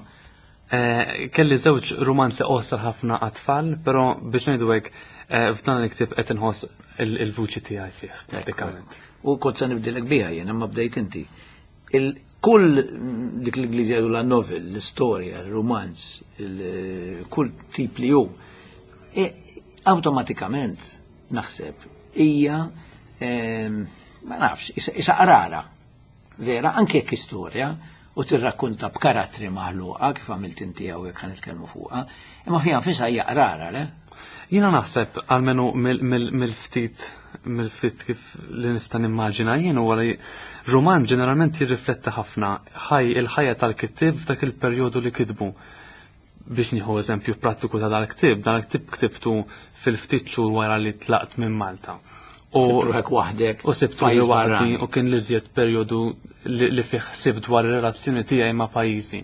Eh, kelli żewġ romanzi qosor ħafna għat-tfal, però biex ngħidu hekk eh, f'dan il-ktieb qed inħoss il-vuċi tiegħi fih pratikament. U kont se nibdilek biha jien, imma bdejt inti. Kull dik l-Ingliżi jgħidu la novel, l-istorja, il-romanz, kull tip li hu, e, awtomatikament naħseb hija ma nafx, isa qrara. Vera, anke jekk istorja, u tirrakkonta b'karattri maħluqa kif għamilt inti hawnhekk ħa nitkellmu fuqha, imma fiha nfisha hija qrara, le? Jiena naħseb almenu mill-ftit mill-ftit kif li nista' nimmaġina jien huwa li roman ġeneralment jirrifletta ħafna ħaj il-ħajja tal-kittieb f'dak il-perjodu li kitbu. Biex nieħu eżempju prattiku ta' dal-ktieb, dal-ktieb ktibtu fil-ftit xhur wara li tlaqt minn Malta. U ruħek waħdek. U sibtu li waħdi u kien li żjed perjodu li fih ħsibt dwar ir-relazzjoni tiegħi ma' pajjiżi.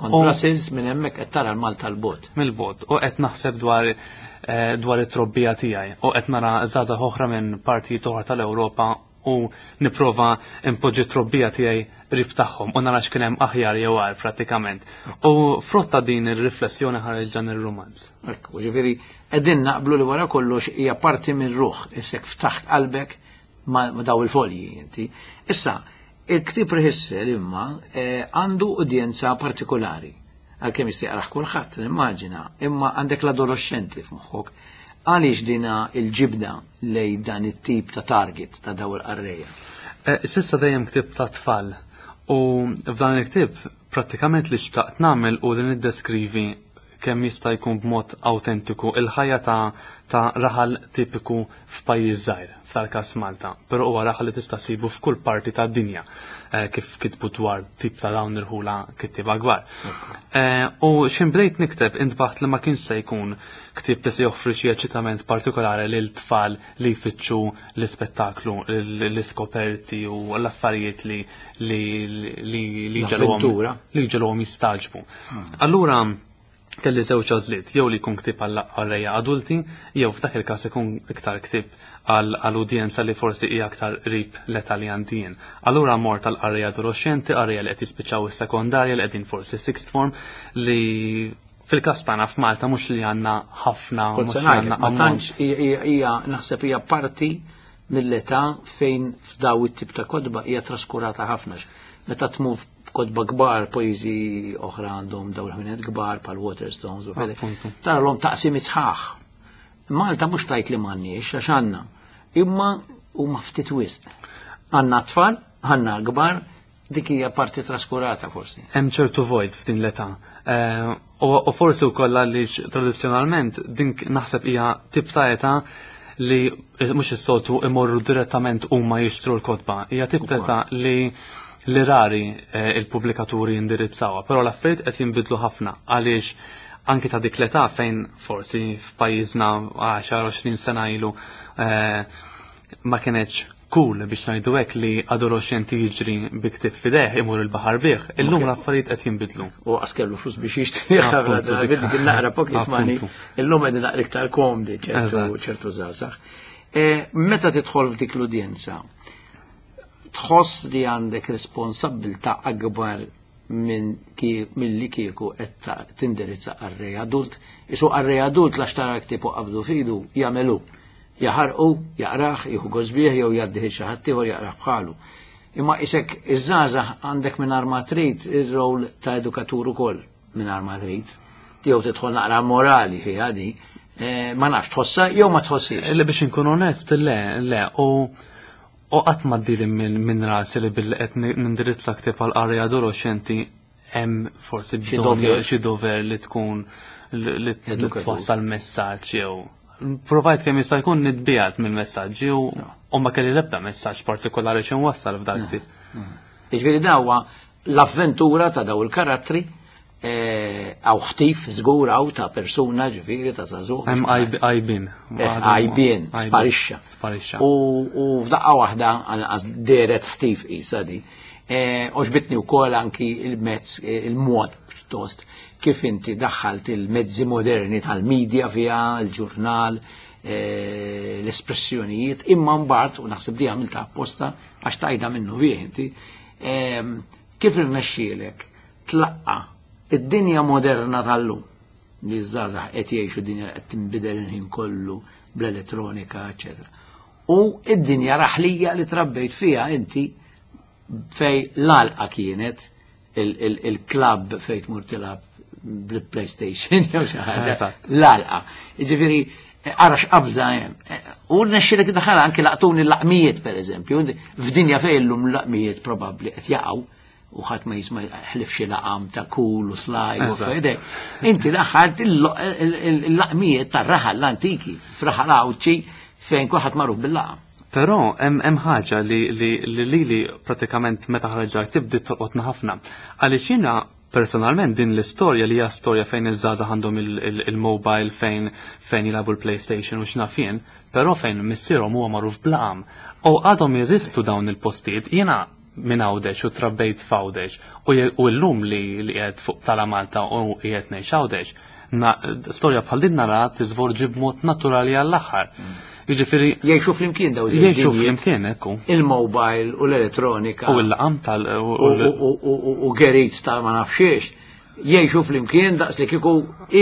Kont Brussels minn hemmhekk qed tara l-Malta l-bot. Mill-bot u qed naħseb dwar eh, dwar it-trobbija tiegħi u qed nara żgħażagħ oħra minn partijiet oħra tal-Ewropa u nipprova impoġġi trobbija tiegħi qrib tagħhom u nara x'kien hemm aħjar jew agħar pratikament. U frotta din ir-riflessjoni ħareġ dan ir-romanz. Ekku, ġifieri qegħdin naqblu li wara kollox hija parti minn ruħ, issek ftaħt qalbek ma' daw il-folji inti. Issa, il-ktieb Riħ Isfel imma eh, għandu udjenza partikolari. Għalkemm jista' jaqrah kulħadd, nimmaġina, imma għandek l-adolescenti f'moħħok. Għaliex dina il-ġibda lej dan it-tip ta' target ta' daw il-qarrejja? Eh, s'issa dejjem ktieb ta' tfal u f'dan il-ktieb prattikament li xtaqt nagħmel u li niddeskrivi kemm jista' jkun b'mod autentiku il-ħajja ta' ta' raħal tipiku f'pajjiż żgħir, f'tal-każ Malta, però huwa raħal li tista' ssibu f'kull parti tad-dinja eh, kif kitbu dwar tip ta' dawn irħula kittieba kbar. Eh, u x'in bdejt nikteb intbaħt li ma kienx se jkun ktieb li se joffri xi eċitament partikolari lil tfal li jfittxu l-ispettaklu, l-iskoperti u l-affarijiet li li li li L-avventura. li ġelhom jistaġbu. Allura kelli żewġ għażliet, jew li jkun ktieb għal qarrejja adulti, jew f'dak il-każ ikun iktar ktieb għal udjenza li forsi hija aktar qrib l-età li għandi jien. Allura mort għal qarrejja adolescenti, qarrejja li qed jispiċċaw is-sekondarja li qegħdin forsi sixth form li fil-każ tagħna f'Malta mhux li għandna ħafna Kont mhux se li għandna ngħidlek, ma ammont. tantx hija- hija naħseb hija parti mill-età fejn f'daw it-tip ta' kotba hija traskurata ħafna. Meta tmur kotba kbar, pajjiżi oħra għandhom daw il-ħwienet kbar bħal Waterstones u fede. Appuntu. Tara l-om taqsimiet sħaħ. Malta mhux tajt li m'għandniex għax għandna, imma huma ftit wisq. Għandna tfal, għandna kbar, dik hija parti traskurata forsi. Hemm ċertu vojt f'din l-età. Eh, U u forsi wkoll għaliex tradizzjonalment din naħseb hija tip ta' età li mhux is-soltu imorru direttament huma jixtru l-kotba. Hija tip ta' età li li rari eh, il-pubblikaturi jindirizzawha, però l-affarijiet qed jinbidlu ħafna għaliex anki ta' dik l-età fejn forsi f'pajjiżna għaxar għoxrin sena ilu eh, ma kienx cool biex ngħidu hekk li adolescenti jiġri bi ktieb f'idejh imur il-baħar bih. Illum l-affarijiet qed jinbidlu. U għas kellu flus biex jixtri Appuntu, dik. dik naqra pocket money. Appuntu. Illum qegħdin naqra iktar komdi ċertu Eżatt. ċertu żgħażagħ. Eh, Meta tidħol f'dik l-udjenza, Tħoss li għandek responsabbiltà akbar minn milli kieku qed tindirizza qarrej adult. Isu qarrej adult la xtara ktieb u qabdu fidu jagħmelu. Jaħarqu, jaqrah, jieħu gost bih jew jgħaddih xi ħadd ieħor jaqrah bħalu. Imma isek iż-żgħażagħ għandek mingħajr ma trid ir-rol ta' edukatur ukoll mingħajr ma trid. Jew tidħol naqra morali fiha di, eh, ma nafx tħossha jew ma tħossix. Le, biex inkun onest, le, le, u u qatt ma ddili minn min rasi li billi qed nindirizza ktieb għal qarrej adolescenti hemm forsi Xi bżonn dover. xi dover li tkun li li Edukatur. twassal messaġġ jew provajt kemm jista' jkun nitbiegħed mill-messaġġi u u ma kelli l-ebda messaġġ partikolari xi nwassal f'dak ktieb. Jiġifieri dawa l-avventura ta' daw il-karattri għaw ħtif żgur għaw ta' persuna, ġifieri ta' żagħżugħ. Hemm għajbien. Għajbien, sparixxa. Sparixxa. U u f'daqqa waħda għanqas deret ħtif isa di. Għoġbitni wkoll anki il-mezz, il-mod pjuttost kif inti daħħalt il-mezzi moderni tal-medja fiha, il-ġurnal, eh, l-espressjonijiet, imma mbagħad, u naħseb di għamilta apposta għax tajda minnu fih inti, ehm, kif irnexxielek tlaqqa id-dinja moderna tal-lum li ż-żgħażagħ qed jgħixu dinja li qed tinbidel il-ħin kollu bl-elettronika, eċetera. U id-dinja raħlija li trabbejt fiha inti fej l-għalqa kienet il-club fej tmur tilgħab bil-PlayStation jew xi ħaġa. Eżatt. L-għalqa. Jiġifieri arax qabża hemm. U rnexxielek daħal anke laqtuni l-laqmijiet pereżempju, f'dinja fejn illum l-laqmijiet probabbli qed jaqgħu u ħadd ma jisma' ħlif xi laqam ta' Kool u Sly u Eżatt. fejde. Inti daħħalt il-laqmijiet tar-raħal l-antiki f'raħal Għawdxi fejn kulħadd magħruf bil-laqam. Però hemm hemm ħaġa li li li lili pratikament meta ħareġ ktieb bdiet tolqotna ħafna. Għaliex jiena personalment din l-istorja li hija storja fejn iż-żgħażagħ għandhom il-mobile, fejn fejn jilagħbu l-PlayStation u x'naf jien, però fejn missierhom huwa magħruf b'laqam. U għadhom jeżistu dawn il-postijiet, jiena minn Għawdex u trabbejt f'Għawdex u je- u llum li li qiegħed fuq tala Malta u qiegħed ngħix Għawdex, na- storja bħal din nara tiżvolġi b'mod naturali għall-aħħar. Jiġifieri Jgħixu flimkien daw iż-żewġ jgħixu dinjiet. flimkien, ekku. Il-mobile u l-elettronika. U l-laqam tal u- u u- u- u- u gerit ta' ma nafxiex, jgħixu flimkien daqs li kieku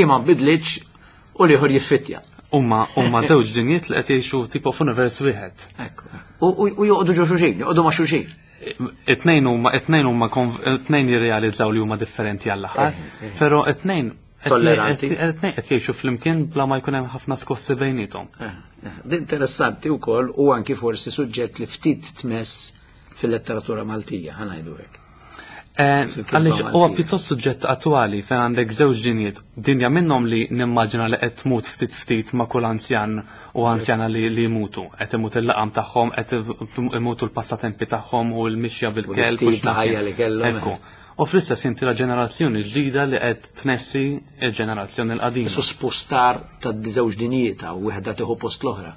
ima bidlitx u liħor jiffittja. Huma huma żewġ dinjiet li qed jgħixu tipo f'univers wieħed. Ekku. U u- u joqogħdu ġo xulxin, joqogħdu ma' xulxin. It-tnejn huma it-tnejn huma konv- it-tnejn jirrealizzaw li huma differenti għall-aħħar, però it-tnejn Tolleranti. It-tnejn qed jgħixu flimkien bla ma jkun hemm ħafna skossi bejniethom. Eh, eh, Din interessanti wkoll u anki forsi suġġett li ftit tmess fil-letteratura Maltija, ħa ngħidu hekk. Eh, Fil-kitba Għaliex huwa Maltija. pjuttost suġġett attwali fejn għandek żewġ dinjiet, dinja minnhom li nimmaġina li qed tmut ftit ftit ma' kull anzjan u anzjana li li jmutu. Qed imut il-laqam tagħhom, qed imutu l-passatempi tagħhom u l-mixja bil-kelb. l-istil ta' x'naf ħajja jien. li kellhom. Ekku. U fl-istess inti la ġenerazzjoni ġdida li qed tnessi il-ġenerazzjoni l-qadima. Isu spostar ta' żewġ dinjiet u wieħda tieħu post l-oħra.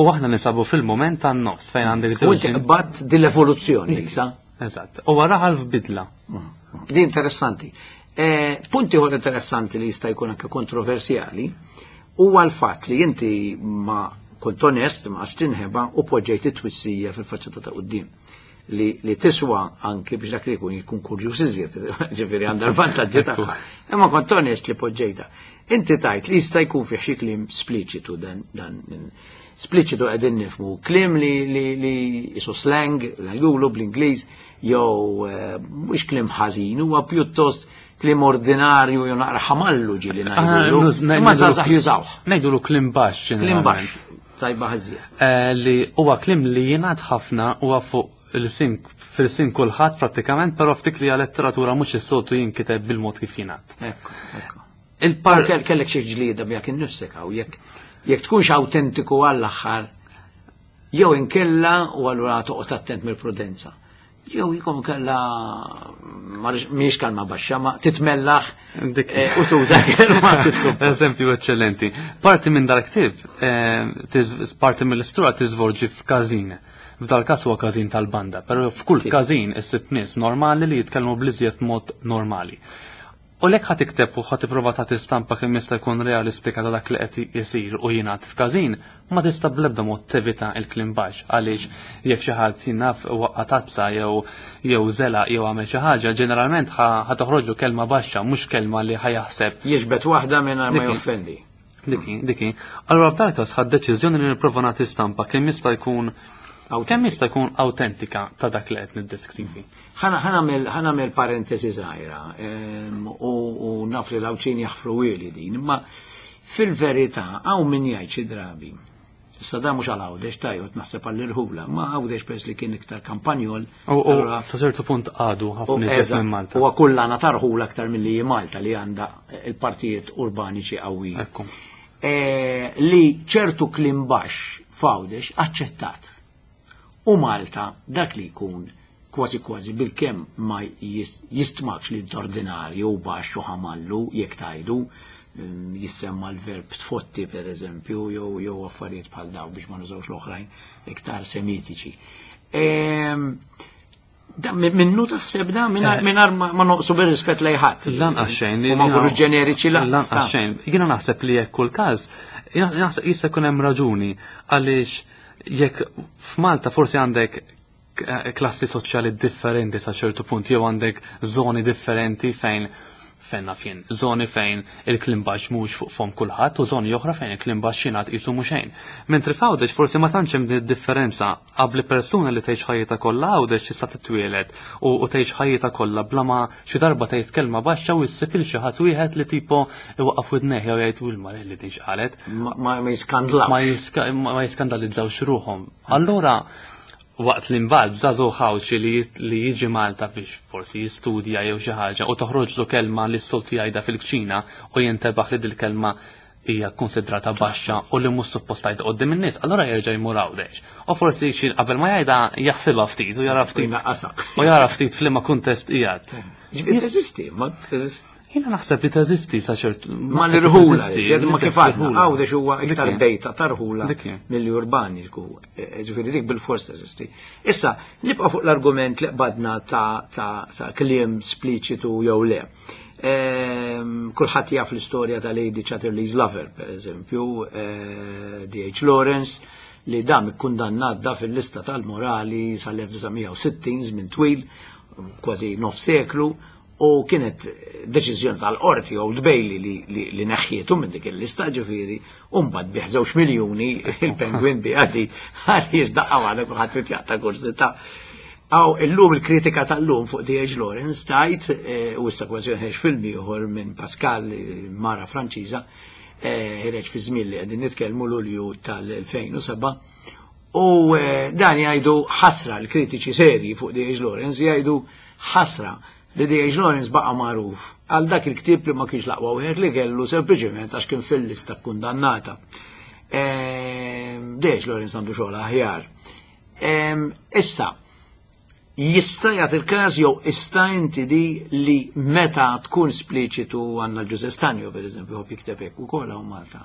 U aħna nisabu fil-moment tan-nofs fejn għandek U żewġ inti din- qbadt din l-evoluzzjoni, isa. Eżatt. U wara f'bidla. Di interessanti. Eh, punti ieħor interessanti li jista' jkun anke kontroversjali huwa l-fatt li inti ma kont onest, ma għax tinħeba u poġġejt it-twissija fil-faċċata ta' quddiem li, li tiswa anke biex dak li jkun jkun kurjuż iżjed, ġifieri għandha l-vantaġġi tagħha. Imma kont onest li poġġejta. Inti tajt li jista' jkun fih xi kliem spliċitu dan dan spliċitu qegħdin nifhmu kliem li li li isu slang, l bl-Ingliż, jew eh, mhux kliem ħażin, huwa pjuttost kliem ordinarju jew naqra ħamallu ġieli ngħidulu. Imma żgħażagħ jużawh. Ngħidulu kliem baxx. Kliem baxx, tajba ħażija. Eh, li huwa kliem li jingħad ħafna, huwa fuq il-sin fil-sin kulħadd prattikament, però ftik li letteratura mhux is-soltu jinkiteb bil-mod kif jingħad. Ekku, ekku. Il-par Kell- Kellek xi ġlieda miegħek innifsek hawn jekk jekk tkunx awtentiku għall-aħħar jew inkella u allura toqgħod attent mill-prudenza. Jew jikom kella mhix kalma baxxa ma titmellaħ Dik. eh, u tuża kelma kif suppost. Eżempju eccellenti. Parti minn dal-ktib, eh, tiż- parti mill-istorja tiżvolġi f'każin. F'dal każ huwa każin tal-banda, però f'kull Sì. każin issib nies normali li jitkellmu bl-iżjed mod normali. U lek ħa tikteb u ħa tipprova tagħti stampa kemm jista' jkun realistika ta' dak li qed isir u jingħad f'każin, ma tista' bl-ebda mod tevita il-kliem baxx, għaliex jekk xi ħadd jien naf waqqa' tazza jew jew żela jew għamel xi ħaġa, ġeneralment ħa toħroġlu kelma baxxa, mhux kelma li ħa jaħseb. Jiġbed waħda mingħajr ma joffendi. Diki, diki. Allura f'dal każ ħadt deċiżjoni li nipprova nagħti stampa kemm jista' jkun kemm jista' jkun autentika ta' dak li qed niddeskrivi. Ħa nagħmel parentesi żgħira u naf li l-Għawdxin jaħfruhieli din, imma fil-verità hawn min jgħid xi drabi. Issa da mhux għal Għawdex tajjeb naħseb għall-irħula, ma Għawdex pers li kien iktar kampanjol. U sa ċertu punt għadu ħafna iżjed minn Malta. Huwa kullana tarħula aktar milli Malta li għandha il-partijiet urbaniċi qawwi. Li ċertu kliem baxx f'Għawdex aċċettat. U Malta dak li jkun kważi kważi bil-kemm ma jistmakx li ordinarju u baxx u ħamallu jekk tajdu, jissemma l-verb tfotti per eżempju, jew jew affarijiet bħal daw biex ma nużawx l-oħrajn iktar semitiċi. Minnu taħseb da mingħajr ma noqsu bir-rispett lejn ħadd. Lanqas xejn. U ma nkunux ġeneriċi lanqas xejn. Jiena naħseb li jekk kull każ, naħseb jista' jkun hemm raġuni għaliex jekk f'Malta forsi għandek klassi soċjali differenti sa ċertu punt, jew għandek zoni differenti fejn fejn naf jien, zoni fejn il-kliem baxx mhux fuq fom kulħadd u zoni oħra fejn il-kliem baxx jingħad qisu mhux xejn. Mentri f'Għawdex forsi ma tantx hemm din differenza qabli persuna li tgħix ħajjitha kollha Għawdex tista' titwieled u tgħix ħajjitha kollha bla ma xi darba tgħid kelma baxxa u issib il xi ħadd wieħed li tipo iwaqqaf widnejh jew jgħid u l-Marelli din x'qalet. Ma jiskandlawx. Ma jiskandalizzawx ruħhom. Allura waqt li mbagħad żagħżugħ Għawdxi li jiġi Malta biex forsi jistudja jew xi ħaġa u toħroġlu kelma li s-soltu jgħidha fil-kċina u jintebaħ li dil-kelma hija konsidrata baxxa u li mhux suppost tgħid quddiem in-nies, allura jerġa' jmur Għawdex. U forsi xi qabel ma jgħidha jaħsibha ftit u jara ftit. U jara ftit f'liema kuntest qiegħed. Ġifieri teżisti, ma teżisti. Jiena naħseb li teżisti sa ċertu. Ma l-irħula, zjed ma kif għadna, Għawdex huwa iktar bejta tarħula milli urbani, ġifieri dik bil-fors teżisti. Issa, nibqa' fuq l-argument li qbadna ta' kliem spliċitu jew le. Kulħadd jaf l-istorja ta' Lady Chatterley's Lover, per eżempju, D H Lawrence, li dam ikkundannat da fil-lista tal-morali sal-elf disa' mija u sittin, żmien twil, kważi nof seklu, u kienet deċiżjoni tal-qorti Old Bailey li, li, li neħħietu minn dik il-lista, ġifieri, u mbagħad bih żewġ miljuni il-Penguin bi għadi għaliex daqqa waħda kulħadd trid jaqta' kursità. Aw illum il-kritika tal-lum fuq D H Lawrence tajt, u issa kważi ħeġ film ieħor minn Pascal, mara Franċiża, ħireġ fi żmien li qegħdin nitkellmu Lulju tal-elfejn u seba', u dan jgħidu ħasra l-kritiċi serji fuq D H Lawrence jgħidu ħasra li D H Lawrence baqa' magħruf għal dak il-ktieb li ma kienx l-aqwa wieħed li kellu sempliċement għax kien fil-lista kkundannata. D H Lawrence għandu xogħol aħjar. Issa, jista' jagħti il-każ jew ista' inti di li meta tkun spliċitu għandna l-Ġuże Stanjo, per eżempju, ħobb jikteb hekk ukoll hawn Malta.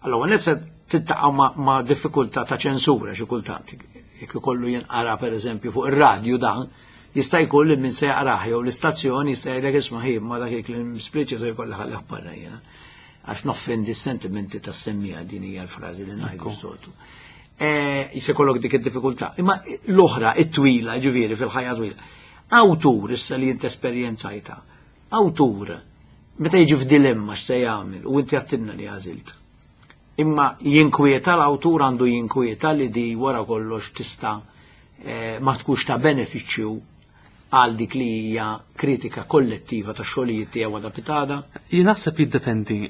Allora, net se tiltaqa' ma', ma' diffikultà ta' ċensura xi kultant. Jekk ikollu jinqara per eżempju fuq ir-radju dan, jista' jkun li min se jaqrah jew l-istazzjoni jista' jgħidlek isma' ħin ma dak il-kliem spliċitu jkollha ħallih barra jiena. Għax noffendi s-sentimenti tas-semmija, din hija l-frażi li ngħidu s-soltu. Jista' jkollok dik id-diffikultà. Imma l-oħra, it-twila, ġifieri fil-ħajja twila. Awtur issa li int esperjenzajta, awtur meta jiġi f'dilemma x'se jagħmel u inti għattilna li għażilt. Imma jinkwieta l-awtur għandu jinkwieta li di wara kollox tista' ma tkunx ta' benefiċċju għal dik li hija kritika kollettiva ta' xogħlijiet tiegħu għadha pitada? Jien naħseb jiddependi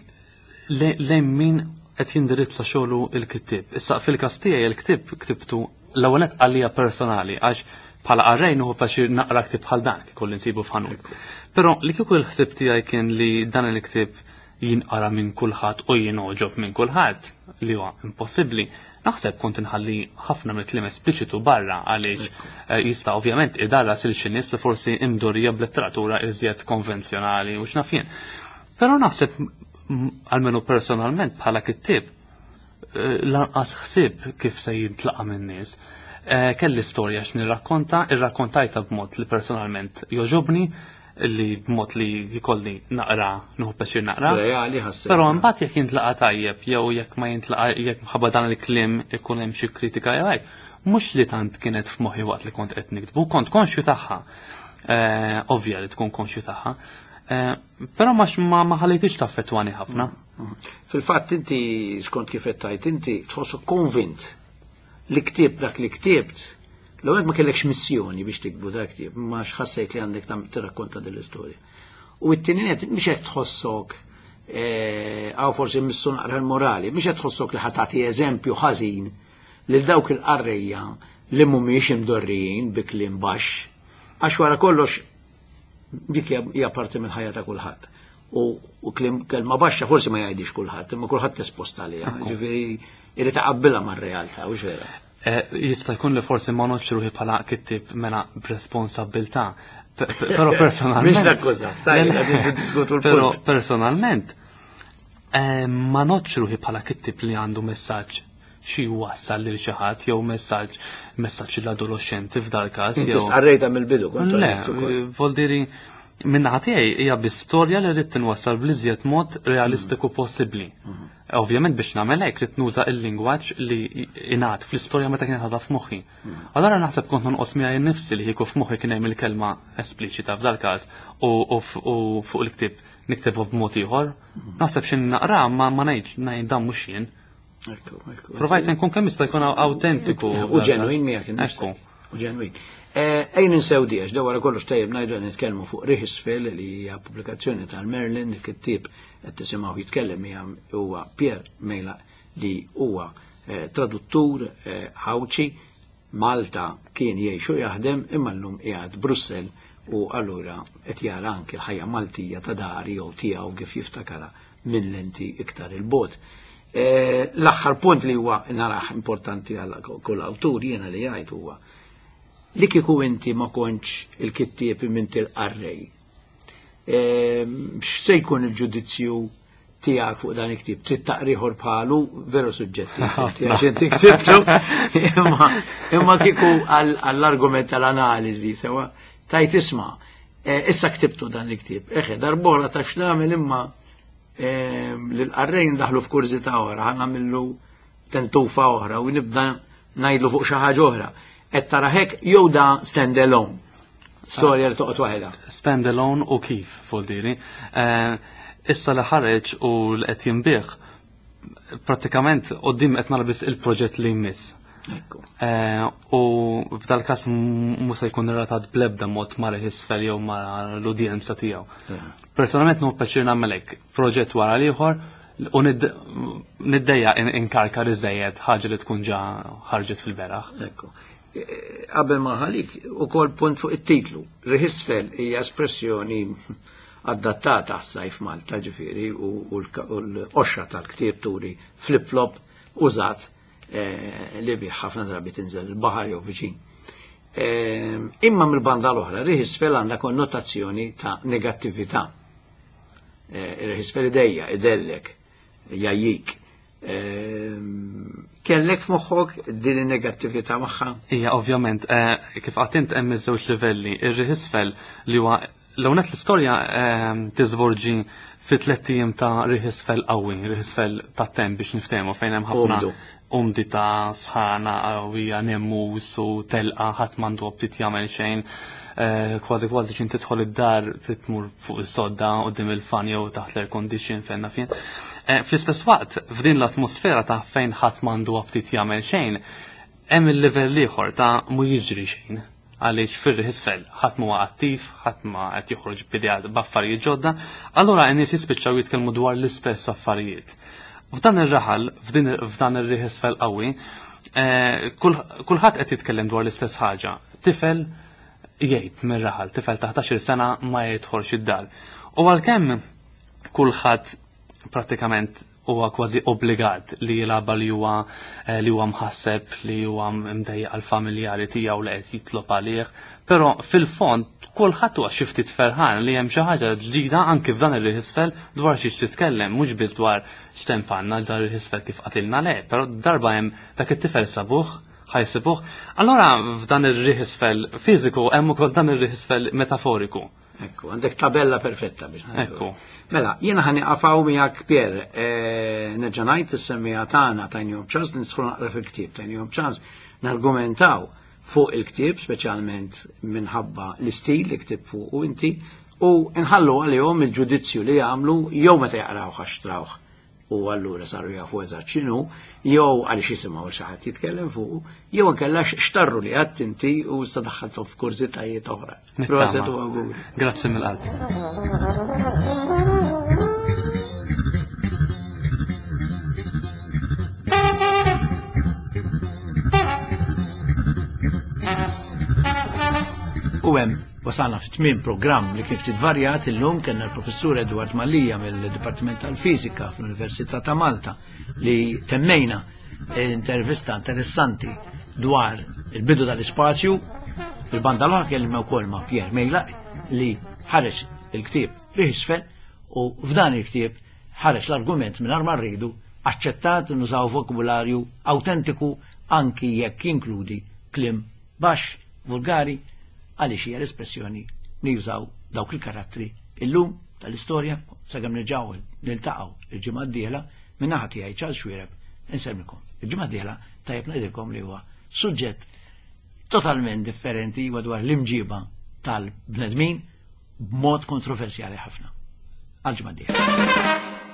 lejn min qed jindirizza xogħlu l-kittieb. Issa fil-każ tiegħi il-ktieb ktibtu l-ewwel nett għalija personali għax bħala qarrej nieħu pjaċir naqra ktieb bħal dan kif kolli nsibu f'ħanut. Però li kieku l-ħsieb tiegħi kien li dan il-ktieb jinqara minn kulħadd u jingħoġob minn kulħadd, li huwa impossibbli, naħseb kont inħalli ħafna mill-kliem espliċitu barra għaliex jista' ovvjament idarras il xi nies li forsi imdorrija b'letteratura iżjed konvenzjonali u x'naf jien. Però naħseb almenu personalment bħala kittieb lanqas ħsieb kif se jintlaqa' min-nies. Kelli storja x'nirrakkonta, irrakkontajta b'mod li personalment jogħġobni, li b'mod li jkolli naqra, nieħu pjaċir naqra. Reali ħassejt. Però mbagħad jekk jintlaqa tajjeb jew jekk ma jintlaqa, jekk mħabba dan il-kliem ikun hemm xi kritika jew hekk, mhux li tant kienet f'moħħi waqt li kont qed niktbu, kont konxju tagħha. Eh, ovvja li tkun konxju tagħha. Eh, però ma ma ħallejtix taffettwani ħafna. Fil-fatt inti, skont kif qed tgħid inti, tħossok konvint li ktibt dak li ktibt, l-ewwel ma kellekx missjoni biex tiktbu dak ktieb, ma x'ħassejt li għandek tam tirrakkonta din l-istorja. U t-tieni nett mhix qed tħossok, għaw forsi missu naqra l-morali, mhix qed tħossok li ħa tagħti eżempju ħażin lil dawk il-qarrejja li mhumiex imdorrijin bi kliem baxx, għax wara kollox dik hija parti mill-ħajja ta' kulħadd. U kliem, kelma baxxa forsi ma jgħidix kulħadd, imma kulħadd espost għaliha, ġifieri irid taqabbilha mar-realtà, u vera. Jista' jkun li forsi ma noċ ruħi bħala kittib mela b'responsabbiltà. Però personalment. Mhix nakkużak, tajjeb, diskutu l-punt. Però personalment ma noċ ruħi bħala kittib li għandu messaġġ xi wassal lil xi ħadd jew messaġġ messaġġ l-adolescenti f'dal każ. Inti stqarrejta mill-bidu kont. Le, voldiri min-naħa tiegħi hija bi storja li rrid tinwassal bl-iżjed mod realistiku possibbli. Ovvjament biex nagħmel hekk rrid nuża l-lingwaġġ li ingħad fl-istorja meta kienet għadha f'moħħi. Allura naħseb kont nonqos miegħi nnifsi li kieku f'moħħi kien hemm il-kelma espliċita f'dal każ u fuq il-ktieb niktebhu b'mod ieħor. Naħseb xi naqra ma ngħidx ngħid dan mhux jien. Provajt nkun kemm jista' jkun awtentiku. U ġenwin miegħek innifsek. U ġenwin. Ejn insew di, għax wara kollox tajjeb ngħidu nitkellmu fuq Riħ Isfel li hija pubblikazzjoni tal-Merlin, il-kittieb qed tisimgħu jitkellem hija huwa Pierre Meilak li huwa traduttur Għawdxi, Malta kien jgħix u jaħdem imma llum qiegħed Brussell u allura qed jara anke l-ħajja Maltija ta' dari jew tiegħu kif jiftakarha minn lenti iktar il-bogħod. L-aħħar punt li huwa naraħ importanti għal kull awtur jiena li jgħid huwa li kieku inti ma kontx il-kittieb minn til-qarrej. X'se jkun il-ġudizzju tiegħek fuq dan il-ktieb? Trid taqriħor bħalu, veru suġġettiv, għax inti ktibtu, imma kieku għall-argument tal-analiżi sewa tajt isma' issa ktibtu dan il-ktieb. Eħe, darbora ta' x'nagħmel imma l-qarrej ndaħlu f'kurżità oħra, ħa nagħmillu tentufa oħra u nibda ngħidlu fuq xi ħaġa oħra. Qed tara hekk jew da stand alone? Storja li toqgħod waħedha. Stand alone u kif, voldiri. Issa li ħareġ u li qed jinbih, prattikament quddiem qed nara biss il-proġett li jmiss. U f'dal każ mhux se jkun relatat bl-ebda mod ma' Riħ Isfel jew ma' l-udjenza tiegħu. Personalment nieħu pjaċir nagħmel hekk, proġett wara l-ieħor u niddejja inkarkar iżejjed ħaġa li tkun ġa ħarġet fil-beraħ. Ekku. Qabel ma ħalik ukoll punt fuq it-titlu. Riħ Isfel hija espressjoni adattata għas-sajf Malta, ġifieri, u l-qoxra tal-ktieb turi flip-flop użat li bih ħafna drabi tinżel il-baħar jew viċin. Imma mill-banda l-oħra, Riħ Isfel għandha konnotazzjoni ta' negattività. Riħ Isfel idejja, idellek, jajjik. Kellek f'moħħok din in-negattività magħha? Ija, ovvjament, kif qatt int hemm iż-żewġ livelli. Ir-Riħ Isfel li huwa l-ewwel l-istorja tiżvolġi fi tliet ijiem ta' Riħ Isfel qawwi, Riħ Isfel ta' temp biex niftehmu fejn hemm ħafna umdità, sħana qawwija, nemmus u telqa, ħadd m'għandu aptit jagħmel xejn. Kważi kważi x'in tidħol id-dar trid tmur fuq is-sodda quddiem il-fan jew taħt l-air condition fejn naf jien. Fl-istess waqt, f'din l-atmosfera ta' fejn ħadd m'għandu aptit jagħmel xejn, hemm il-livell ieħor ta' mu jiġri xejn. Għaliex fir-Riħ Isfel ħadd m'huwa attiv, ħadd ma qed joħroġ b'idea b'affarijiet ġodda, allura n-nies jispiċċaw jitkellmu dwar l-istess affarijiet. F'dan ir-raħal, f'dan ir-Riħ Isfel qawwi, kulħadd qed jitkellem dwar l-istess ħaġa. Tifel jgħid mir-raħal, tifel ta' ħdax-il sena ma jidħolx id-dar. U għalkemm kulħadd prattikament huwa kważi obbligat li jilgħabha li huwa li huwa mħasseb, li huwa mdejjaq għall-familjari tiegħu li qed jitlob għalih, però fil-fond kulħadd huwa xi ftit ferħan li hemm xi ħaġa ġdida anki f'dan ir-Riħ Isfel dwar xiex titkellem, mhux biss dwar x'tempanna dan ir-Riħ Isfel kif qatilna le, però darba hemm dak it-tifel sabuh, ħajsibuh. Allora f'dan ir-Riħ Isfel fiżiku hemm ukoll dan ir-Riħ Isfel metaforiku. Ekku, għandek tabella perfetta biex. Ekku. Mela, jiena ħa nieqaf hawn miegħek Pier, eh, nerġa' ngħid is-semmiegħa tagħna tajnihom ċans nidħlu naqra fil-ktieb, tajnihom ċans nargumentaw fuq il-ktieb, speċjalment minħabba l-istil li ktibt fuq u inti, u nħallu għalihom il-ġudizzju li jagħmlu jew meta jaqraw għax xtrawh u allura saru jafu eżatt x'inhu, jew għaliex jisimgħu xi ħadd jitkellem fuq, jew inkella xtarru li għedt inti u sa daħħalthom f'kurżitajiet oħra. Proset u awguri. Grazzi mill-qalb. U hemm wasalna fi tmiem programm li kif titvarjat illum kellna l-professur Edward Mallia mill-Dipartiment tal-Fiżika fl-Università ta' Malta li temmejna intervista interessanti dwar il-bidu tal-ispazju. Il-banda l-oħra kellimna wkoll ma' Pierre Meilak li ħareġ il-ktieb Riħ Isfel, u f'dan il-ktieb ħareġ l-argument minn ma rridu aċċettat nużaw vokabularju autentiku anki jekk jinkludi kliem baxx, vulgari, għaliex hija l-espressjoni li jużaw dawk il-karattri illum tal-istorja. Sakemm nerġgħu niltaqgħu il-ġimgħa d-dieħla, min-naħa tiegħi Charles Xuereb insellmilkom. Il-ġimgħa d-dieħla tajjeb ngħidilkom li huwa suġġett totalment differenti, huwa dwar l-imġiba tal-bnedmin b'mod kontroversjali ħafna. Għal ġimgħa d-dieħla.